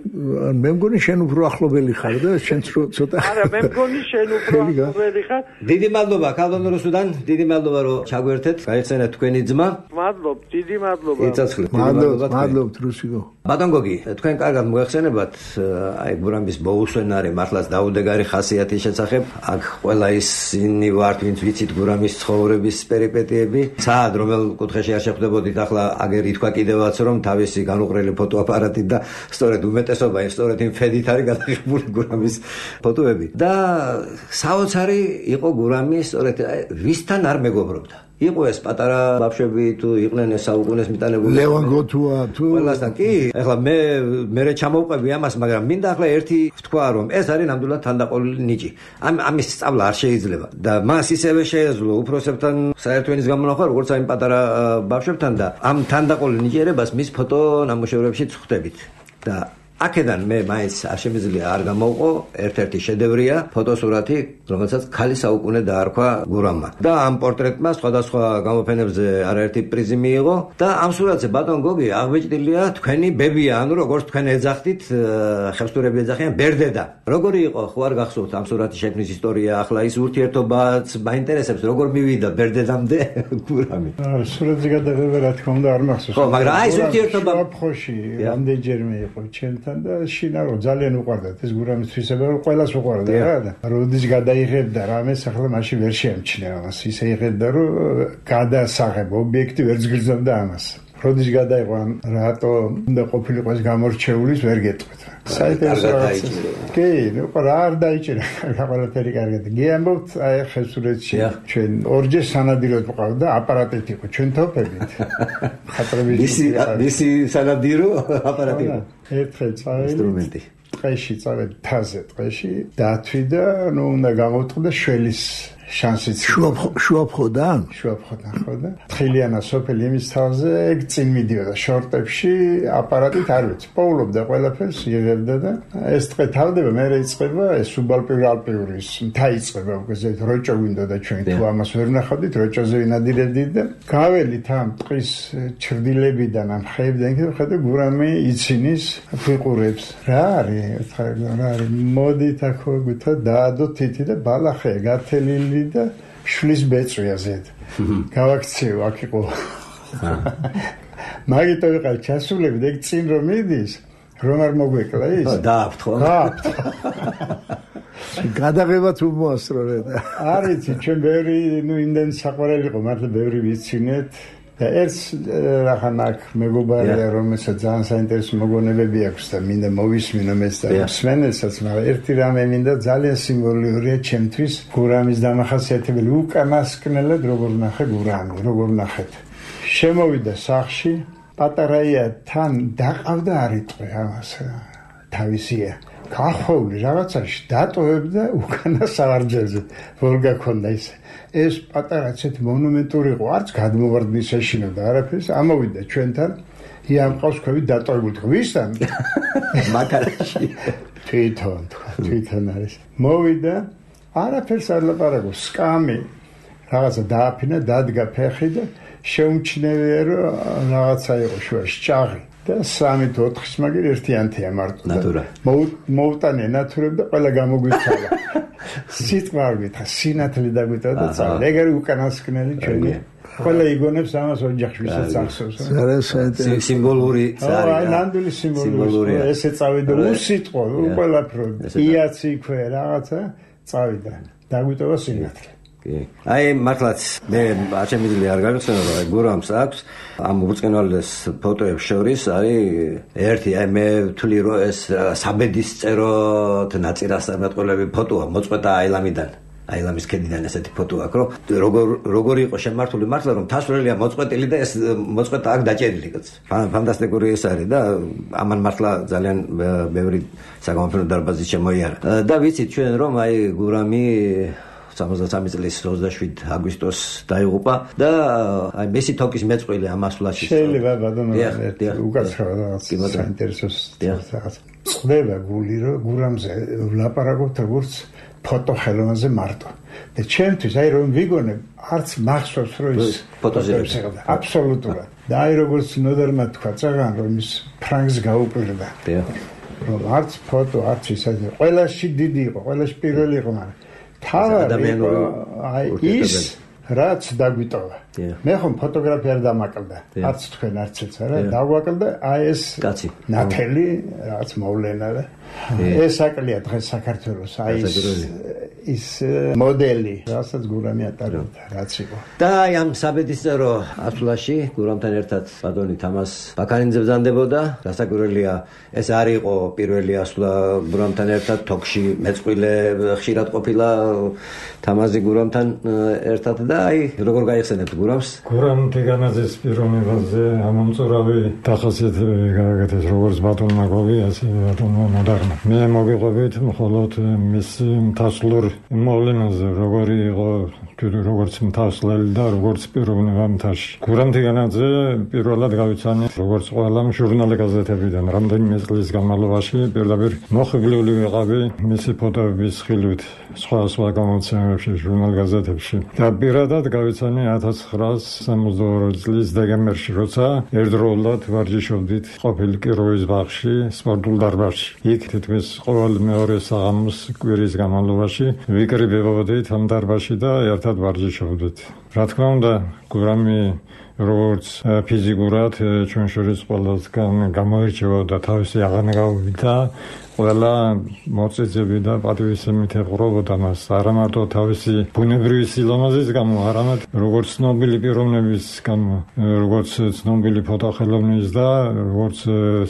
მე მგონი შენ უფრო ახლობელი ხარ და შენ ცოტა არა მე მგონი შენ უფრო ახლობელი ხარ დიდი მადლობა ქალბატონ რუსუდან დიდი მადლობა რომ ჩაგვერთეთ გაიხსენეთ თქვენი ძმა მადლობ დიდი მადლობა იცოცხლე მადლობ მადლობთ რუსიკო ბატონ გოგი თქვენ კარგად მოეხსენებათ აი გურამის მოუსვენარი მართლაც დაუდეგარი ხასიათის შესახებ აქ ყველა ისინი ვართ ვინც ვიცით გურამის ცხოვრების პერიპეტიები საად რომელ კუთხეში არ შეხვდებოდით ახლა აგერ ითქვა კიდევაც რომ თავისი განუყრელი ფოტოაპარატით და სწორედ უმეტესობა ის სწორედ იმ ფედით არის გადაღებული გურამის ფოტოები და საოცარი იყო გურამი სწორედ ვისთან არ მეგობრობდა იყო ეს პატარა ბავშვები თუ იყვნენ ეს საუკუნეს მიტანებული ლევან გოთუა თუ ყველასთან კი ეხლა მე მე ჩამოვყვები ამას მაგრამ მინდა ახლა ერთი ვთქვა რომ ეს არის ნამდვილად თანდაყოლილი ნიჭი ამ ამის სწავლა არ შეიძლება და მას ისევე შეეძლო უფროსებთან საერთო ენის გამონახვა როგორც აი პატარა ბავშვებთან და ამ თანდაყოლილ ნიჭიერებას მის ფოტო ნამუშევრებში ხვდებით და აქედან მე მაინც არ შემიძლია არ გამოვყო ერთ-ერთი შედევრია ფოტოსურათი რომელსაც ქალი საუკუნე დაარქვა გურამმა და ამ პორტრეტმა სხვადასხვა გამოფენებზე არაერთი პრიზი მიიღო და ამ სურათზე ბატონ გოგი აღბეჭდილია თქვენი ბებია ანუ როგორც თქვენ ეძახდით ხევსურები ეძახიან ბერდედა როგორი იყო ხო არ გახსოვთ ამ სურათის შექმნის ისტორია ახლა ის ურთიერთობაც მაინტერესებს როგორ მივიდა ბერდედამდე გურამი აა სურათის გადაღება რა თქმა უნდა არ მახსოვს ხო მაგრამ აი ეს ურთიერთობა ხოში რამდენჯერმე იყო ჩემთან და შინა რომ ძალიან უყვარდათ ეს გურამის თვისება რომ ყველას უყვარდა რა და როდის გადაიღებდა რამეს ახლა მაშინ ვერ შეამჩნია ამას ისე იღებდა რომ გადასაღებ ობიექტი ვერ ზგრძნობდა ამას როდის გადაიღო ამ რატო უნდა ყოფილიყო ეს გამორჩეულის ვერ გეტყვით საერთოდ კი ნუ რა არ დაიჭირა ყველაფერი კარგად გიამბობთ აი ხევსურეთში ჩვენ ორჯერ სანადიროდ ვყავდა აპარატით იყო ჩვენ თოფებით ხატრები ისი ისი სანადირო აპარატი ერთხელ წავედი ინსტრუმენტი ტყეში წავედი თაზე ტყეში დათვი და ნუ უნდა გამოვტყდა შველის შანსიც შუაფხოდან შუაფხოდან ხო და თხილიანა სოფელი იმის თავზე ეგ წინ მიდიოდა შორტებში აპარატით არ ვიცი პოულობდა ყველაფერს იღებდა და ეს ტყე თავდება მე რეიწყება ეს სუბალპიური ალპიურის მთა იწყება უკვე ზედ როჭო გვინდოდა ჩვენ თუ ამას ვერ ნახავდით როჭოზე ვინადირებდით და გაველით ამ ტყის ჩრდილებიდან ამ ხეებიდან კიდევ ხედავ გურამი იცინის ფიყურებს რა არის რა არის მოდით აქ გვითო დაადო თითი და ბალახია გათელილი და შლის ბეწვია ზედ. გავაქცევ აქ იყო. მაგითო ვიყავ ჩასულები და წინ რომ მიდის, რომ არ მოგვეკლა ის? დააფთ ხო? დააფთ. გადაღება თუ მოასწრო და არ იცი, ჩვენ ბევრი, ნუ იმდენ საყვარელი იყო, მართლა ბევრი ვიცინეთ. და ერთ რახან აქ მეგობარია რომელსაც ძალიან საინტერესო მოგონებები აქვს და მინდა მოვისმინო მეც და მსმენელსაც, მაგრამ ერთი რამე მინდა ძალიან სიმბოლურია ჩემთვის გურამის დამახასიათებელი უკანასკნელად როგორ ნახე გურამი, როგორ ნახეთ. შემოვიდა სახლში, პატარაია თან დაყავდა არიტყვი ამას თავისია. გახვეული რაღაცაში დატოვებდა უკანა სავარჯელზე, որ გაქონდა ისე. ეს პატარა ცეთ მონუმენტური იყო, არც გადმოვარდნის ეშინოდა არაფერს, ამოვიდა ჩვენთან, იამყავს ქვევი დატოვებული თქვა, ვისთან? მაგარაში. თვითონ, თვითონ არის. მოვიდა, არაფერს არ ლაპარაკობს, სკამი, რაღაცა დააფინა, დადგა ფეხი და შეუმჩნევია, რომ რაღაცა იყო შუაში, ჭაღი. და სამი თუ ოთხის მაგერ ერთიანთია მარტო. ნატურა. მოუტანე ნატურებ და ყველა გამოგვიცალა. სიტყვა გითხრა, სინათლე დაგვიტანა და წავიდა. ეგ არის უკანასკნელი ჩვენი. ყველა იგონებს ამას ოჯახში ვისაც ახსოვს. სიმბოლური ზარი. აი, ნამდვილი სიმბოლურია. ესე წავიდა უსიტყვო, ყველაფრო. იაცი ქვე რაღაცა წავიდა. დაგვიტოვა სინათლე. აი მართლაც მე აჩემილი არ გავიხსენო რომ აი გურამს აქვს ამ უბრწყინვალეს ფოტოებს შორის არის ერთი აი მე ვთვლი რომ ეს საბედის წეროთ ნაწილასამეტყველები ფოტოა მოწყვეტა აილამიდან აილამის ქედიდან ესეთი ფოტო აქვს რომ როგორ როგორ იყო შემართული მართლა რომ თასვრელია მოწყვეტილი და ეს მოწყვეტა აქ დაჭერილი კაც ფანტასტიკური ეს არის და ამან მართლა ძალიან ბევრი საგამოფენო დარბაზი შემოიარა და ვიცით ჩვენ რომ აი გურამი სამოცდასამი წლის ოცდაშვიდ აგვისტოს დაიღუპა და აი მესი თოკის მეწყვილე ამ ასვლაში შეიძლება ბატონო უკაცრავად რაღაც საინტერესო რაღაც წდება გული რომ გურამზე ვლაპარაკობთ როგორც ფოტო ხელოვნაზე მარტო და ჩემთვის აი რომ ვიგონებ არც მახსოვს რომ ის ფოტოზირებს აბსოლუტურად და აი როგორც ნოდერმა თქვა წაღან რომ ის ფრანგს გაუპირდა რომ არც ფოტო არც ის ყველაში დიდი იყო ყველაში პირველი იყო მაგრამ ადამიანური აი ის რაც დაგვიტოვა. მე ხომ ფოტოგრაფია არ დამაკლდა. არც თქვენ არც ეც არა, დავაკლდა აი ეს ნათელი რაც მოვლენა და ეს აკლია დღეს საქართველოს აი ეს ის მოდელი, რასაც გურამი ატარებდა, რაც იყო. და აი ამ საბედისწერო ასვლაში გურამთან ერთად ბატონი თამას ბაქარინძე ბრძანდებოდა. დასაკვირველია ეს არ იყო პირველი ასვლა გურამთან ერთად თოქში მეწყვილე ხშირად ყოფილა თამაზი გურამთან ერთად და აი როგორ გაიხსენებთ გურამს? გურამ თიგანაძის პიროვნებაზე ამომწურავი დახასიათებები გააკეთეს როგორც ბატონმა გოვი, ასე ბატონმა მოდარმა. მე მოგიყვებით მხოლოდ მის მთასვლურ მოვლენაზე, როგორი იყო როგორც მთასვლელი და როგორც პიროვნება მთაში. გურამ თიგანაძე პირველად გავიცანი როგორც ყველა ჟურნალი გაზეთებიდან რამდენიმე წლის განმავლობაში პირდაპირ მოხიბლული ვიყავი მისი ფოტოების ხილვით სხვა სხვა გამოცემებში ჟურნალ გაზეთებში და პირადად გავიცანი ათას ცხრაას სამოცდაორი წლის დეკემბერში როცა ერთდროულად ვარჯიშობდით ყოფილ კიროვის ბაღში სპორტულ დარბაზში იქ თითქმის ყოველ მეორე საღამოს კვირის განმავლობაში ვიკრიბებოდით ამ დარბაზში და ერთად ვარჯიშობდით რა თქმა უნდა გურამი როგორც ფიზიკურად ჩვენ შორის ყველასგან გამოირჩეოდა თავისი აღანგაობით და ყველა მოწესები და პატივისცემით ეყრობოდა მას არა მარტო თავისი ბუნებრივი სილამაზის გამო, არამედ როგორც ცნობილი პიროვნების გამო, როგორც ცნობილი ფოტოხელოვნის და როგორც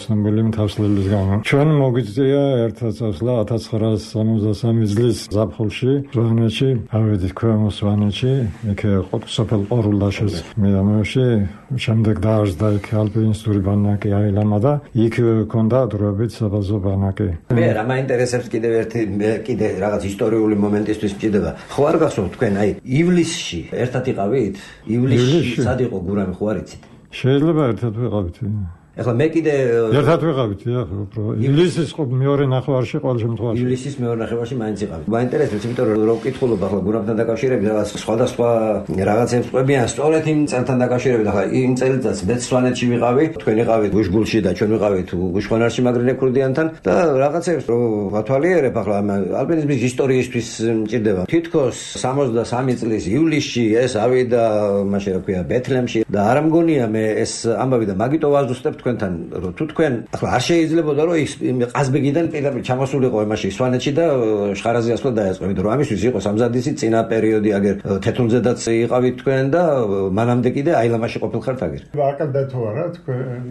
ცნობილი მთასვლის გამო. ჩვენ მოგვიწია ერთად წასვლა ათას ცხრაას სამოცდასამი წლის ზაფხულში, ზვანეთში, ავედით ქვემო ზვანეთში, იქ სოფელ ყორულდაშეს მიდამოში, შემდეგ დაარსდა იქ ალპინისტური ბანაკი აილამა და იქ ჰქონდა დროებით საბაზო ბანაკი. მე რა მაინტერესებს კიდევ ერთი კიდე რაღაც ისტორიული მომენტისთვის მჭირდება. ხო არ გახსოვთ თქვენ აი ივლისში ერთად იყავით? ივლისში სად იყო გურამი ხო არ იცით? შეიძლება ერთად ვიყავით. ეხლა მე კიდე ერთად ვიყავით, ხო, უფრო. ივლისის ხო მეორე ნახევარში ყოველ შემთხვევაში. ივლისის მეორე ნახევარში მაინც იყავით. მაინტერესებს, იმიტომ რომ რო ვკითხულობ ახლა გურამთან დაკავშირებით რაღაც სხვადასხვა რაღაცებს ყვებიან სწორედ იმ წელთან დაკავშირებით. ახლა იმ წელიწადს მეც სვანეთში ვიყავი, თქვენ იყავით უშგულში და ჩვენ ვიყავით უშხონარში მაგრინე ქურდიანთან და რაღაცებს რო ვათვალიერებ ახლა ალპინიზმის ისტორიისთვის მჭირდება. თითქოს სამოცდასამი წლის ივლისში ეს ავიდა, მაშინ რა ქვია, ბეთლემში და არ მგონია მე ეს ამბავი და მაგიტო ვაზუსტებ თქვენთან, რომ თუ თქვენ ახლა არ შეიძლებოდა რომ ის ყაზბეგიდან პირდაპირ ჩამოსულიყო იმაში სვანეთში და შხარაზე ასვლა დაეწყო, იმიტომ რომ ამისთვის იყო სამზადისი წინა პერიოდი, აგერ თეთრუნზედაც იყავით თქვენ და მანამდე კიდე აილამაში ყოფილხართ აგერ. აკადდა თუ არა თქვენ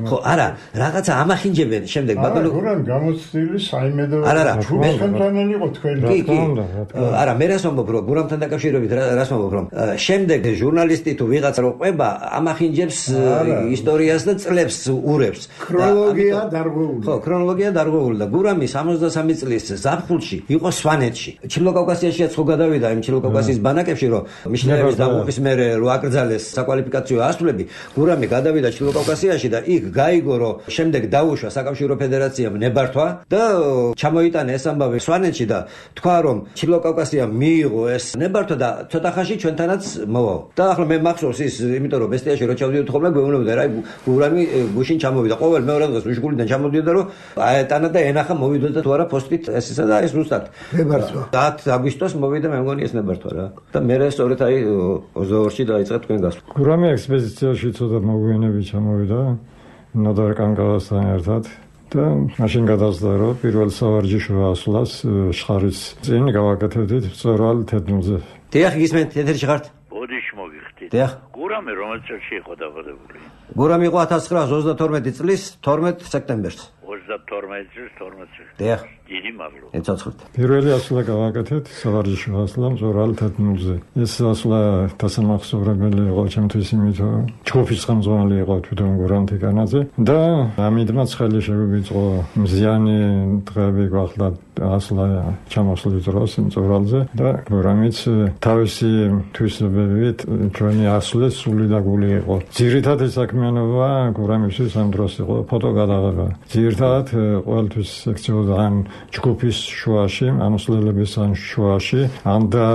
ხო, არა, რაღაცა ამახინჯებენ შემდეგ ბატონო. არა, გურამ გამოცდილი საიმედო ჩვენთან იყო თქვენ. კი, კი. არა, მე რას ვამბობ, რომ გურამთან დაკავშირებით რას ვამბობ, რომ შემდეგ ჟურნალისტი თუ ვიღაცა რო ყვება, ამახინჯებს ისტორიას და წლებს ურევს. ქრონოლოგია დარღვეული. ხო, ქრონოლოგია დარღვეული და გურამი სამოცდასამი წლის ზაფხულში იყო სვანეთში. ჩილოკავკასიაშიც ხო გადავიდა იმ ჩილოკავკასიის ბანაკებში, რომ მიშნეების დაღუპვის მერე რო აკრძალეს საკვალიფიკაციო ასვლები, გურამი გადავიდა ჩილოკავკასიაში და იქ გაიგო, რომ შემდეგ დაუშვა საკავშირო ფედერაციამ ნებართვა და ჩამოიტანა ეს ამბავი სვანეთში და თქვა, რომ ჩილოკავკასიამ მიიღო ეს ნებართვა და ცოტა ხანში ჩვენთანაც მოვაო. და ახლა მე მახსოვს ის, იმიტომ რომ ბესტიაში რო ჩავდიოდი ხოლმე გვეუბნებოდა რა გურამი გუშინ ჩამოვიდა. ყოველ მეორე დღეს უშგულიდან ჩამოდიოდა, რომ აეტანა და ენახა მოვიდოდა თუ არა პოსტით ეს ისა და ეს ზუსტად ნებართვა. დათ აგვისტოს მოვიდა, მე მგონი ეს ნებართვა რა. და მე სწორედ აი ოცდაორში დაიწყე თქვენ გასვლა. გურამი ექსპედიციაში ცოტა მოგვიანებით ჩამოვიდა ნოდარ კანკავასთან ერთად. და მაშინ გადასდა, რომ პირველ სავარჯიშო ასვლას შხარის წინ გავაკეთებდით სწორალ თეთრუნზე. დიახ, გისმენთ, ეთერში ხართ? ბოდიში მოგიხდით. დიახ. გურამი რომელ წელს იყო დაბადებული? გურამი იყო ათას ცხრაას ოცდათორმეტი წლის თორმეტ სექტემბერს. ოცდათორმეტი წლის თორმეტი. დიახ. დიდი მადლობა. ეცოცხლეთ. პირველი ასვლა გავაკეთეთ სავარჯიშო ასვლა სწორალ თეთრუნზე. ეს ასვლა დასამახსოვრებელი იყო ჩემთვის, იმიტომ რომ ჯგუფის ხელმძღვანელი იყო თვითონ გურამ თიკანაძე და ამიტომაც ხელი შევიწყო მზიანი დღეები გვახდა ასვლა ჩამოსვლის დროს სწორალზე და გურამიც თავისი თვისებებით ჩვენი ასვლის სული და გული იყო. ძირითადი საქმიანობა გურამისთვის ამ დროს იყო ფოტოგადაღება. ძირითადად ყოველთვის ექცეოდა ან ჯგუფის შუაში, ამოსვლელების ან შუაში, ან და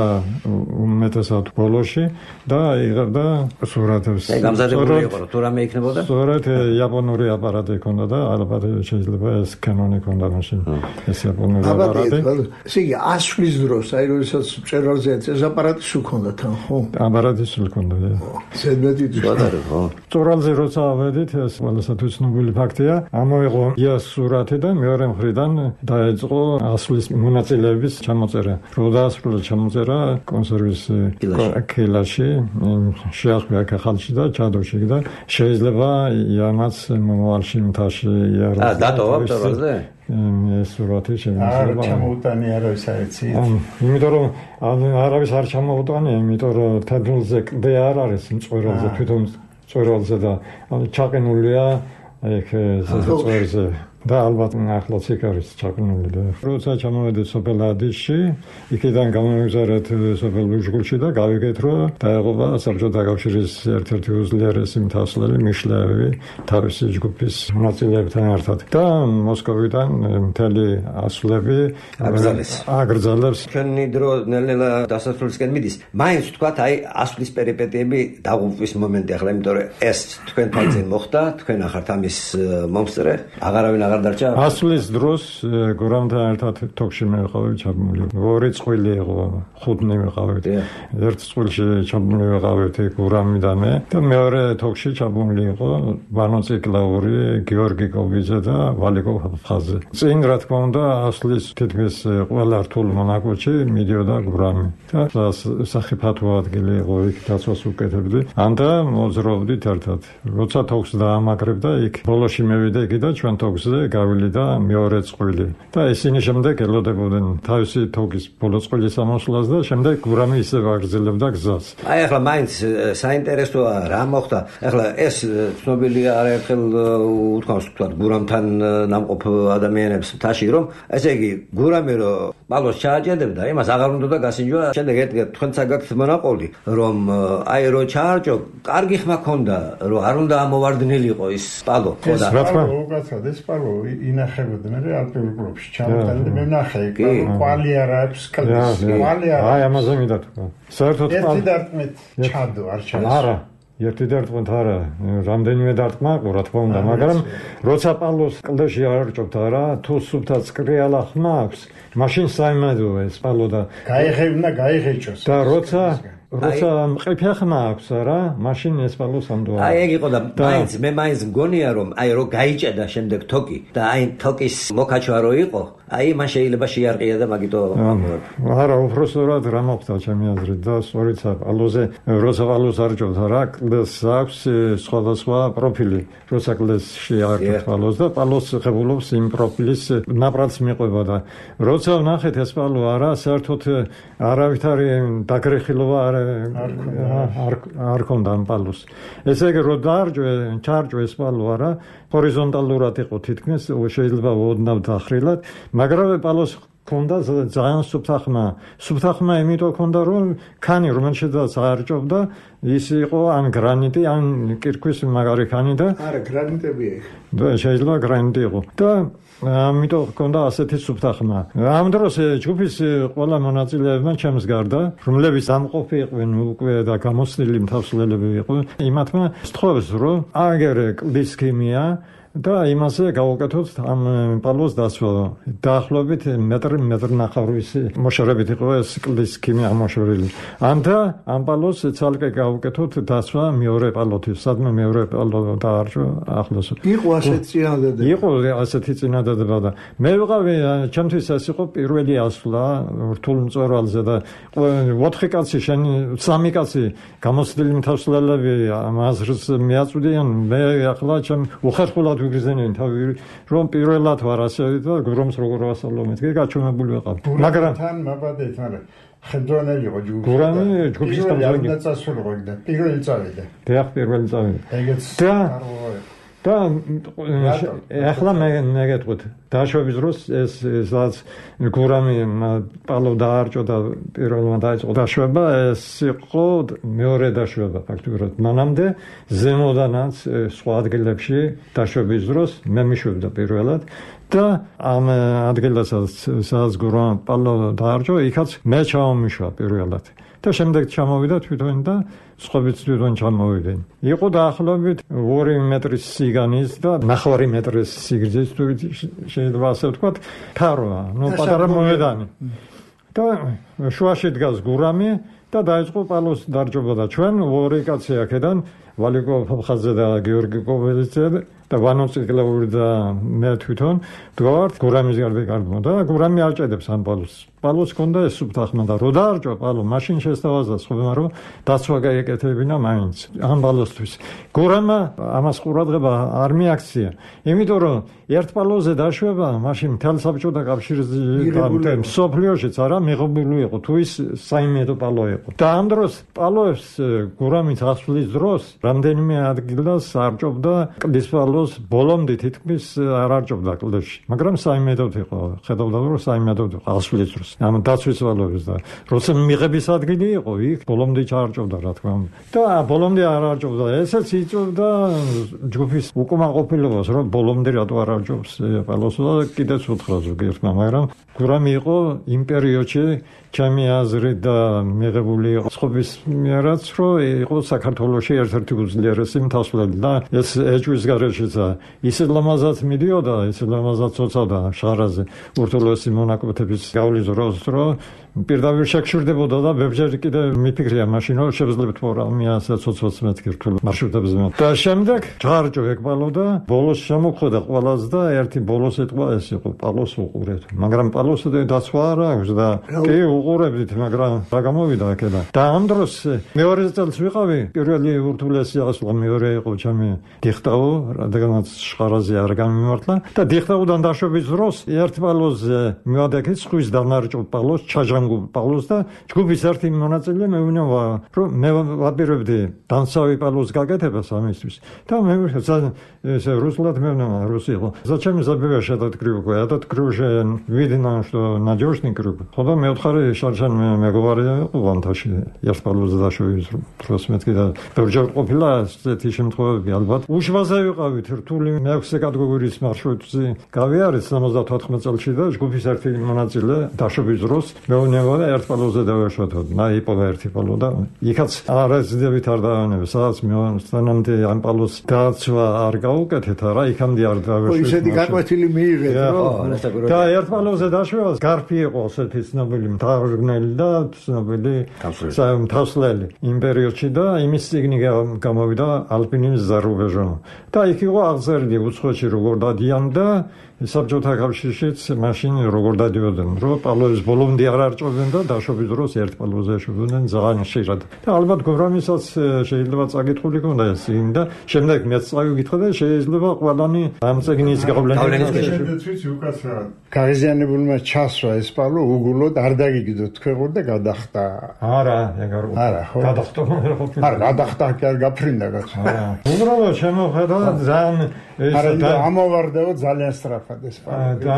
უმეტესად ბოლოში და იღებდა სურათებს. აი გამზადებული იყო, თუ რამე იქნებოდა? სწორედ იაპონური აპარატი ჰქონდა და ალბათ შეიძლება ეს კანონი ჰქონდა მაშინ. ეს იაპონური აპარატი. ესე იგი ასვლის დროს, აი როდესაც მწერალზე ეს აპარატი სულ ჰქონდა თან, ხო? აპარატი სულ ჰქონდა. ზედმეტი ვადარე, ხო. სწორალზე როცა ავედით, ეს ყველასათვის ცნობილი ფაქტია. ამოიღო იას სურათი და მეორე მხრიდან დაეწყო ასვლის მონაწილეების ჩამოწერა. რო დაასრულა ჩამოწერა კონსერვის კილაში, შეასვლა ხალხში და ჩადოში და შეიძლება იამაც მომავალში მთაში იარო. აა დატოვა სწორალზე? ეს სურათი შეიძლება. არ ჩამოუტანი არავის აეცით. იმიტომ რომ არავის არ ჩამოუტანია, იმიტომ რომ თეთრუნზე კლდე არ არის მწვერვალზე, თვითონ მწვერვალზე და ჩაყინულია ეგ ზეწვერზე. და ალბათ ახლაც იქ არის ჩაყნული და როცა ჩამოვედით სოფელ ადისში, იქიდან გამომიგზავნეთ სოფელ ბუჟგულში და გავიგეთ, რომ დაეღობა საბჭოთა კავშირის ერთ-ერთი უძლიერესი მთასვლელი მიშლეევი თავისი ჯგუფის მონაწილეებთან ერთად და მოსკოვიდან მთელი ასვლები აკრძალეს. აკრძალებს. ჩვენი დრო ნელ-ნელა დასასრულისკენ მიდის. მაინც თქვათ, აი ასვლის პერიპეტიები დაღუპვის მომენტი ახლა, იმიტომ რომ ეს თქვენთან წინ მოხდა, თქვენ ახართ ამის მომსწრე, აღარავინ ასვლის დროს გურამთან ერთად თოქში მივიყავით ჩაბმული. ორი წყვილი იყო, ხუთნი ვიყავით. ერთ წვილში ჩაბმული ვიყავით გურამი და მე და მეორე თოქში ჩაბმული იყო ბანო ციკლაური, გიორგი კობიძე და ვალიკო ფხაზე. წინ რა თქმა უნდა ასვლის თითქმის ყველა რთულ მონაკვეთში მიდიოდა გურამი. და სახიფათო ადგილი იყო, იქ დაცვას უკეთებდი. ანდა მოძრაობდით ერთად. როცა თოქს დაამაგრებდა, იქ ბოლოში მევიდა იქ და ჩვენ თოქზე გავილი და მეორე წყვილი და ისინი შემდეგ ელოდებოდნენ თავისი თოგის ბოლო წყვილის ამოსვლას და შემდეგ გურამი ისევ აგრძელებდა გზას. აი ახლა მაინც საინტერესოა რა მოხდა. ახლა ეს ცნობილია არაერთხელ უთქვამს თქვათ გურამთან ნამყოფ ადამიანებს მთაში, რომ ესე იგი გურამი რო ბალოს ჩააჭედებდა, იმას აღარ უნდა გასინჯვა. შემდეგ ერთგერ თქვენცა გაქვთ მონაყოლი, რომ აი რო ჩაარჭო, კარგი ხმა ქონდა, რომ არ უნდა ამოვარდნილიყო ის პალო. ხო და რა თქმა უნდა ეს პალო ინახებოდნენ ალპიურ კლუბში. ჩამოთანილი მე ვნახე, კვალი არ აქვს, კვალი არ. აი ამაზე მინდა თქვა. საერთოდ ერთი დარტყმით ჩადო არ ჩადო. არა, ერთი დარტყმით არა, რამდენიმე დარტყმა ყო რა თქმა უნდა, მაგრამ როცა პალოს კლდეში არჭობთ არა, თუ სუფთა წკრიალა ხმა აქვს, მაშინ საიმედოა ეს პალო და გაიღებნა, გაიღეჭოს. და როცა როცა მყიფე ხმა აქვს არა, მაშინ ეს პალოს ამდოა. აი ეგ იყო და მაინც მე მაინც მგონია რომ აი რო გაიჭედა შემდეგ თოკი და აი თოკის მოქაჩვა რო იყო, აი მან შეიძლება შეარყია და მაგიტო არა, უბრალოდ რა მოხდა ჩემი აზრით და სწორიც პალოზე როცა პალოს არჯობდა რა, კლდეს აქვს სხვადასხვა პროფილი, როცა კლდეს შეარყეთ პალოს და პალოს ხებულობს იმ პროფილის ნაპრალს მიყვება და როცა ვნახეთ ეს პალო არა, საერთოდ არავითარი დაგრეხილობა არ არ ქონდა ამ პალოს. ესე იგი რო დაარჯვე, ჩარჯვე ეს პალო არა, ჰორიზონტალურად იყო თითქმის, შეიძლება ოდნავ დახრილად, მაგრამ პალოს ქონდა ძალიან სუფთა ხმა. სუფთა ხმა იმიტომ ქონდა რომ ქანი რომელშიც აარჯობდა, ის იყო ან გრანიტი, ან კირქვის მაგარი ქანი და არა, გრანიტები იყო. და შეიძლება გრანიტი იყო. და ამიტომ ქონდა ასეთი სუფთა ხმა. ამ დროს ჯგუფის ყველა მონაწილეებმა ჩემს გარდა, რომლებიც ამყოფი იყვნენ უკვე და გამოცდილი მთავსლელები იყვნენ, იმათმა სთხოვეს რომ აგერე კლდის ქიმია და იმაზე გავუკეთოთ ამ პალოს დასვა. დაახლოებით მეტრი მეტრი ნახევრის მოშორებით იყო ეს კლდის ქიმია მოშორილი. ანდა ამ პალოს ცალკე გავუკეთოთ დასვა მეორე პალოთი, სადმე მეორე პალო დაარჩა ახლოს. იყო ასეთი წინადადება. იყო ასეთი წინადადება და მე ვიყავი, ჩემთვის ეს იყო პირველი ასვლა რთულ მწვერვალზე და ოთხი კაცი შენი სამი კაცი გამოცდილი მთავსლელები ამ აზრს მიაწვდიან, მე ახლა ჩემ უხერხულად ვიგრძენენ თავი რომ პირველად ვარ ასე და გრომს როგორ ვასწავლო მეთქე გაჩვენებული ვიყავ. მაგრამ თან მაბადეთ, მაგრამ ხელდრონელი იყო ჯგუფი. გურამი ჯგუფის გამზარდი და წასულიყო და პირველი წავიდა. დიახ, პირველი წავიდა. ეგეც და და ახლა მე მე გეტყვით დაშვების დროს ეს სადაც გურამი პალო დაარჭო და პირველმა დაიწყო დაშვება, ეს იყო მეორე დაშვება ფაქტურად. მანამდე ზემოდანაც სხვა ადგილებში დაშვების დროს მე მიშვებდა პირველად და ამ ადგილასაც სადაც გურამ პალო დაარჭო, იქაც მე ჩავმიშვა პირველად. და შემდეგ ჩამოვიდა თვითონ და სხვაებიც თვითონ ჩამოვიდნენ. იყო დაახლოებით ორი მეტრის სიგანის და ნახევარი მეტრის სიგრძის, თუ შეიძლება ასე ვთქვათ, თაროა, ნუ პატარა მოედანი. და შუაში დგას გურამი და დაიწყო პალოს დარჯობა და ჩვენ ორი კაცი აქედან ვალიკო ფაფხაძე და გიორგი კოველიძე და ვანო ციკლაური და მე თვითონ ვდგავართ გურამის გარდა გარდა და გურამი არჭედებს ამ პალოს. პალოს ქონდა ეს სუფთა ხმა და რო დაარჭვა პალო, მაშინ შესთავაზა ხოლმე რომ დაცვა გაეკეთებინა მაინც ამ პალოსთვის. გურამა ამას ყურადღება არ მიაქცია, იმიტომ რომ ერთ პალოზე დაშვება, მაშინ მთელ საბჭოთა კავშირზე და მსოფლიოშიც არა მიღებული იყო, თუ ის საიმედო პალო იყო. და ამ დროს პალოებს გურამის ასვლის დროს რამდენიმე ადგილას არჭობდა კლდის პალოს, ბოლომდე თითქმის არ არჭობდა კლდეში, მაგრამ საიმედოდ იყო, ხედავდა რომ საიმედოდ იყო ასვლის დროს. ამ დაცვის ვალოებს და როცა მიღების ადგილი იყო, იქ ბოლომდე ჩაარჭობდა რა თქმა უნდა. და ბოლომდე არ არჭობდა, ესეც იწვევდა ჯგუფის უკმაყოფილებას, რომ ბოლომდე რატო არ არჭობს პალოს და კიდეც უთხრა ზოგიერთმა, მაგრამ გურამი იყო იმ პერიოდში ჩემი აზრით და მიღებული იყო წყობის მიერაც, რომ იყო საქართველოში ერთ-ერთი უძლიერესი მთავსვლელი და ეს ეჭვის გარეშეცა ისე ლამაზად მიდიოდა, ისე ლამაზად ცოცავდა შარაზე ურთულესი მონაკვეთების გავლის დროს, რომ პირდაპირ შეგშურდებოდა და ბებჯერ კიდე მიფიქრია მაშინ, რომ შევძლებთ პროგრამია საცოცვაც მეთქი რთულ მარშრუტებზე. და შემდეგ ჩაარჭო ეგ პალო და ბოლოს შემოხვდა ყველას და ერთი ბოლოს ეთყვა ეს იყო პალოს უყურეთ. მაგრამ პალოს დაცვა არ აქვს და კი უყურებდით, მაგრამ რა გამოვიდა აქედან. და ამ დროს მეორე წელს ვიყავი, პირველი ურთულესი ასვლა მეორე იყო ჩემი დიხტაო, რადგანაც შხარაზე არ გამიმართლა და დიხტაოდან დაშვების დროს ერთ პალოზე მივადექით სხვის დანარჭო პალოს, ჩაჟანგულ პალოს და ჯგუფის ერთი მონაწილე მეუბნება, რომ მე ვაპირებდი დანსავი პალოს გაკეთებას ამისთვის. და მე ესე руслад მეუბნება, რუსი იყო. Зачем забиваешь этот крюк? Этот крюк же видно, что надежный крюк. Тогда მე ვთხარი შარშან მე გვარი ვანთაში ერთ პალოზე დაშვების დროს მეთქი და ბევრჯერ ყოფილა ესეთი შემთხვევები ალბათ. უშუალოდ ვიყავით რთული მეექვსე კატეგორიის მარშრუტზე გავიარეთ სამოცდათოთხმეტ წელში და ჯგუფის ერთი მონაწილე დაშვების დროს მეუბნება დაუნებოდა ერთ პალოზე დავეშვათოთ, მაიპოვა ერთი პალო და იქაც არ ეძდებით არ დავანებ, სადაც მეონსთანამდე ამ პალოს დაცვა არ გაუკეთეთ, რა იქამდე არ დავეშვათ. ისეთი გაკვეთილი მიიღეთ, რომ და ერთ პალოზე დაშვებას გარფი იყო ასეთი ცნობილი მთავრგნელი და ცნობილი თავსლელი იმ პერიოდში და იმის წიგნი გამოვიდა ალპინიზმის ზარუბეჟო. და იქ იყო აღწერილი უცხოეთში როგორ დადიან და საბჭოთა კავშირშიც მაშინ როგორ დადიოდნენ, რომ პალოების ბოლომდე არ არჭობდნენ და დაშვების დროს ერთ პალოზე ეშვებოდნენ ძალიან ხშირად. და ალბათ გოვრამისაც შეიძლება წაკითხული ქონდა ეს წიგნი და შემდეგ მეც წავიკითხე და შეიძლება ყველანი ამ წიგნის გავლენის შედეგიც უკაცრავად. გაღიზიანებულმა ჩასვა ეს პალო უგულოდ არ დაგიგდოთ თქვენ და გადახტა. არა, ეგარ არა, ხო. გადახტა. არა, გადახტა კი არ გაფრინდა კაცო. არა. უბრალოდ შემოხედა ძალიან ეს და ამოვარდაო ძალიან სწრაფად ეს პალო. და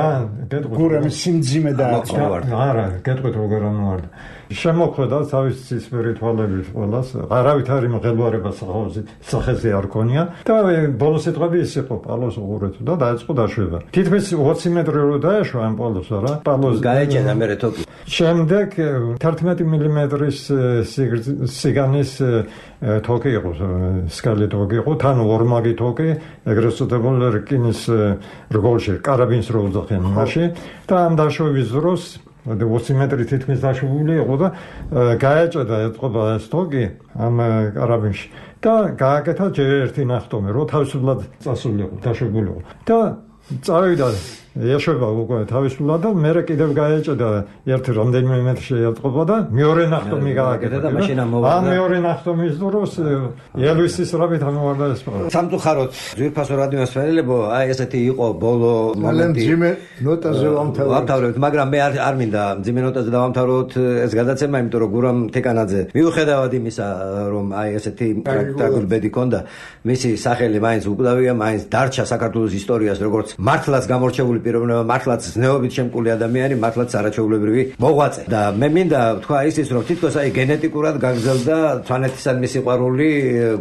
გეტყვით. გურამის სიმძიმე დააწყო. არა, გეტყვით როგორ ამოვარდა. შემოხედა თავის ცისფერი თვალებით ყველას, არავით არ იმღელვარება სახოზით, სახეზე არ ქონია და ბოლოს ეტყვები ის იყო პალოს უღურეთო და დაიწყო დაშვება. თითქმის ოცი მეტრი რო დაეშვა ამ პალოს, რა. პალოს გაეჭედა მერე თოკი. შემდეგ თერთმეტი მილიმეტრის სიგანის თოკი იყო, სკალი თოკი იყო, თან ორმაგი თოკი, ეგრეთ წოდებული რკინის რგოლში, კარაბინის რო უძახიან მაშინ და ამ დაშვების დროს ოცი მეტრი თითქმის დაშვებული იყო და გაეჭედა ეთყობა ეს თოკი ამ კარაბინში და გააკეთა ჯერ ერთი ნახტომი, რომ თავისუფლად წასულიყო, დაშვებული იყო და წავიდა ეშვება უკვე თავისუფლად და მერე კიდევ გაეჭედა ერთი რამდენიმე მეტრში ეთყობა და მეორე ნახტომი გააკეთა და მაშინ ამოვარდა. ამ მეორე ნახტომის დროს ელვისის რაბით ამოვარდა ეს პალო. სამწუხაროდ ძვირფასო რადიო მსმენელებო, აი ესეთი იყო ბოლო მომენტი. მძიმე ნოტაზე ვამთავრებთ, მაგრამ მე არ არ მინდა მძიმე ნოტაზე დავამთავროთ ეს გადაცემა, იმიტომ რომ გურამ თეკანაძე მიუხედავად იმისა, რომ აი ესეთი ტრაგიკული ბედი ჰქონდა, მისი სახელი მაინც უკვდავია, მაინც დარჩა საქართველოს ისტორიას როგორც მართლაც გამორჩეული პიროვნება, მართლაც ზნეობით შემკული ადამიანი, მართლაც არაჩვეულებრივი მოღვაწე. და მე მინდა თქვა ისიც, რომ თითქოს აი გენეტიკურად გაგრძელდა სვანეთისადმი სიყვარული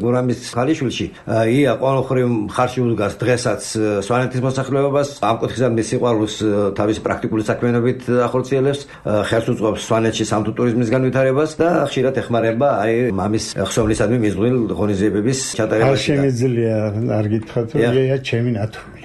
გურამის ქალიშვილში. ია ყოველხრივ მხარში უდგას დღესაც სვანეთის მოსახლეობას, ამ კუთხისადმი სიყვარულს თავისი პრაქტიკული საქმიანობით ახორციელებს, ხელს უწყობს სვანეთში სამთო ტურიზმის განვითარებას და ხშირად ეხმარება აი მამის ხსოვნისადმი მიზღვნილ ღონისძიებების ჩატარებას. არ შემიძლია არ გითხრათ, რომ ია ჩემი ნათული.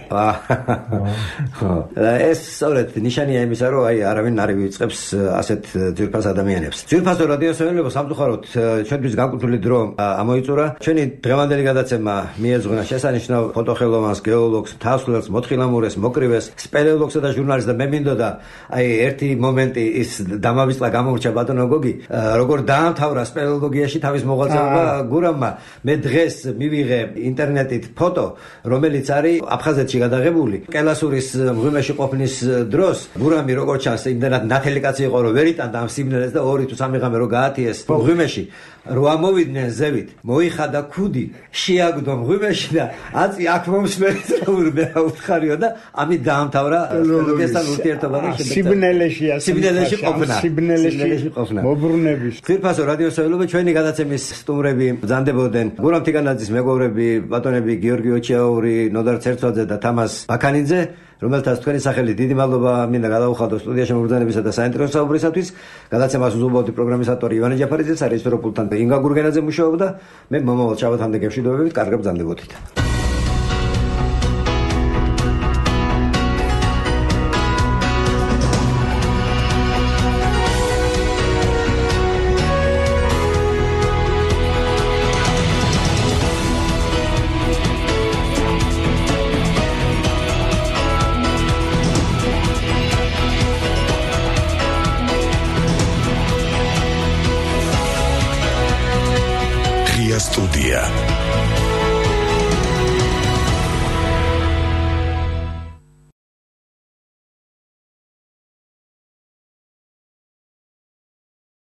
ეს სწორედ ნიშანია იმისა, რომ აი არავინ არ ვიწყებს ასეთ ძვირფას ადამიანებს. ძვირფასო რადიო მსმენელებო, სამწუხაროდ ჩვენთვის განკუთვნილი დრო ამოიწურა. ჩვენი დღევანდელი გადაცემა მიეძღვნა შესანიშნავ ფოტოხელოვანს, გეოლოგს, თავს-ლელს, მოთხილამურეს, მოკრივეს, სპელეოლოგსა და ჟურნალისტს და მე მინდოდა აი ერთი მომენტი ის დამავიწყდა გამოურჩა ბატონო გოგი, როგორ დაამთავრა სპელეოლოგიაში თავის მოღვაწეობა გურამმა. მე დღეს მივიღე ინტერნეტით ფოტო, რომელიც არის აფხაზეთში გადაღებული. კელასურის მღვიმეში ყოფნის დროს გურამი როგორც ჩანს, იმდენად ნათელი კაცი იყო, რომ ვერ იტანდა ამ სიბნელეს და ორი თუ სამი ღამე რო გაათიეს მღვიმეში. რო ამოვიდნენ ზევით, მოიხადა ქუდი, შეაგდო მღვიმეში და აწი აქ მომსმენით რომ მე აუთხარიო და ამით დაამთავრა სპელეოლოგიასთან ურთიერთობა და შემდეგ სიბნელეში სიბნელეში ყოფნა. სიბნელეში ყოფნა. მობრუნების. ძვირფასო რადიო მსმენელებო, ჩვენი გადაცემის სტუმრები ბრძანდებოდნენ გურამ თიკანაძის მეგობრები, ბატონები გიორგი ოჩიაური, ნოდარ ცერცვაძე და თამას ბაქანიძე, რომელთაც თქვენი სახელი დიდი მადლობა მინდა გადაუხადო სტუდიაში მობრძანებისა და საინტერესო საუბრისათვის. გადაცემას უზრუნველყოფდი პროგრამის ავტორი ივანე ჯაფარიძე, სარეჟისორო პულტთან ინგა გურგენაძე მუშაობდა. მე მომავალ შაბათამდე გემშვიდობებით, კარგად ბრძანდებოდით. Студия.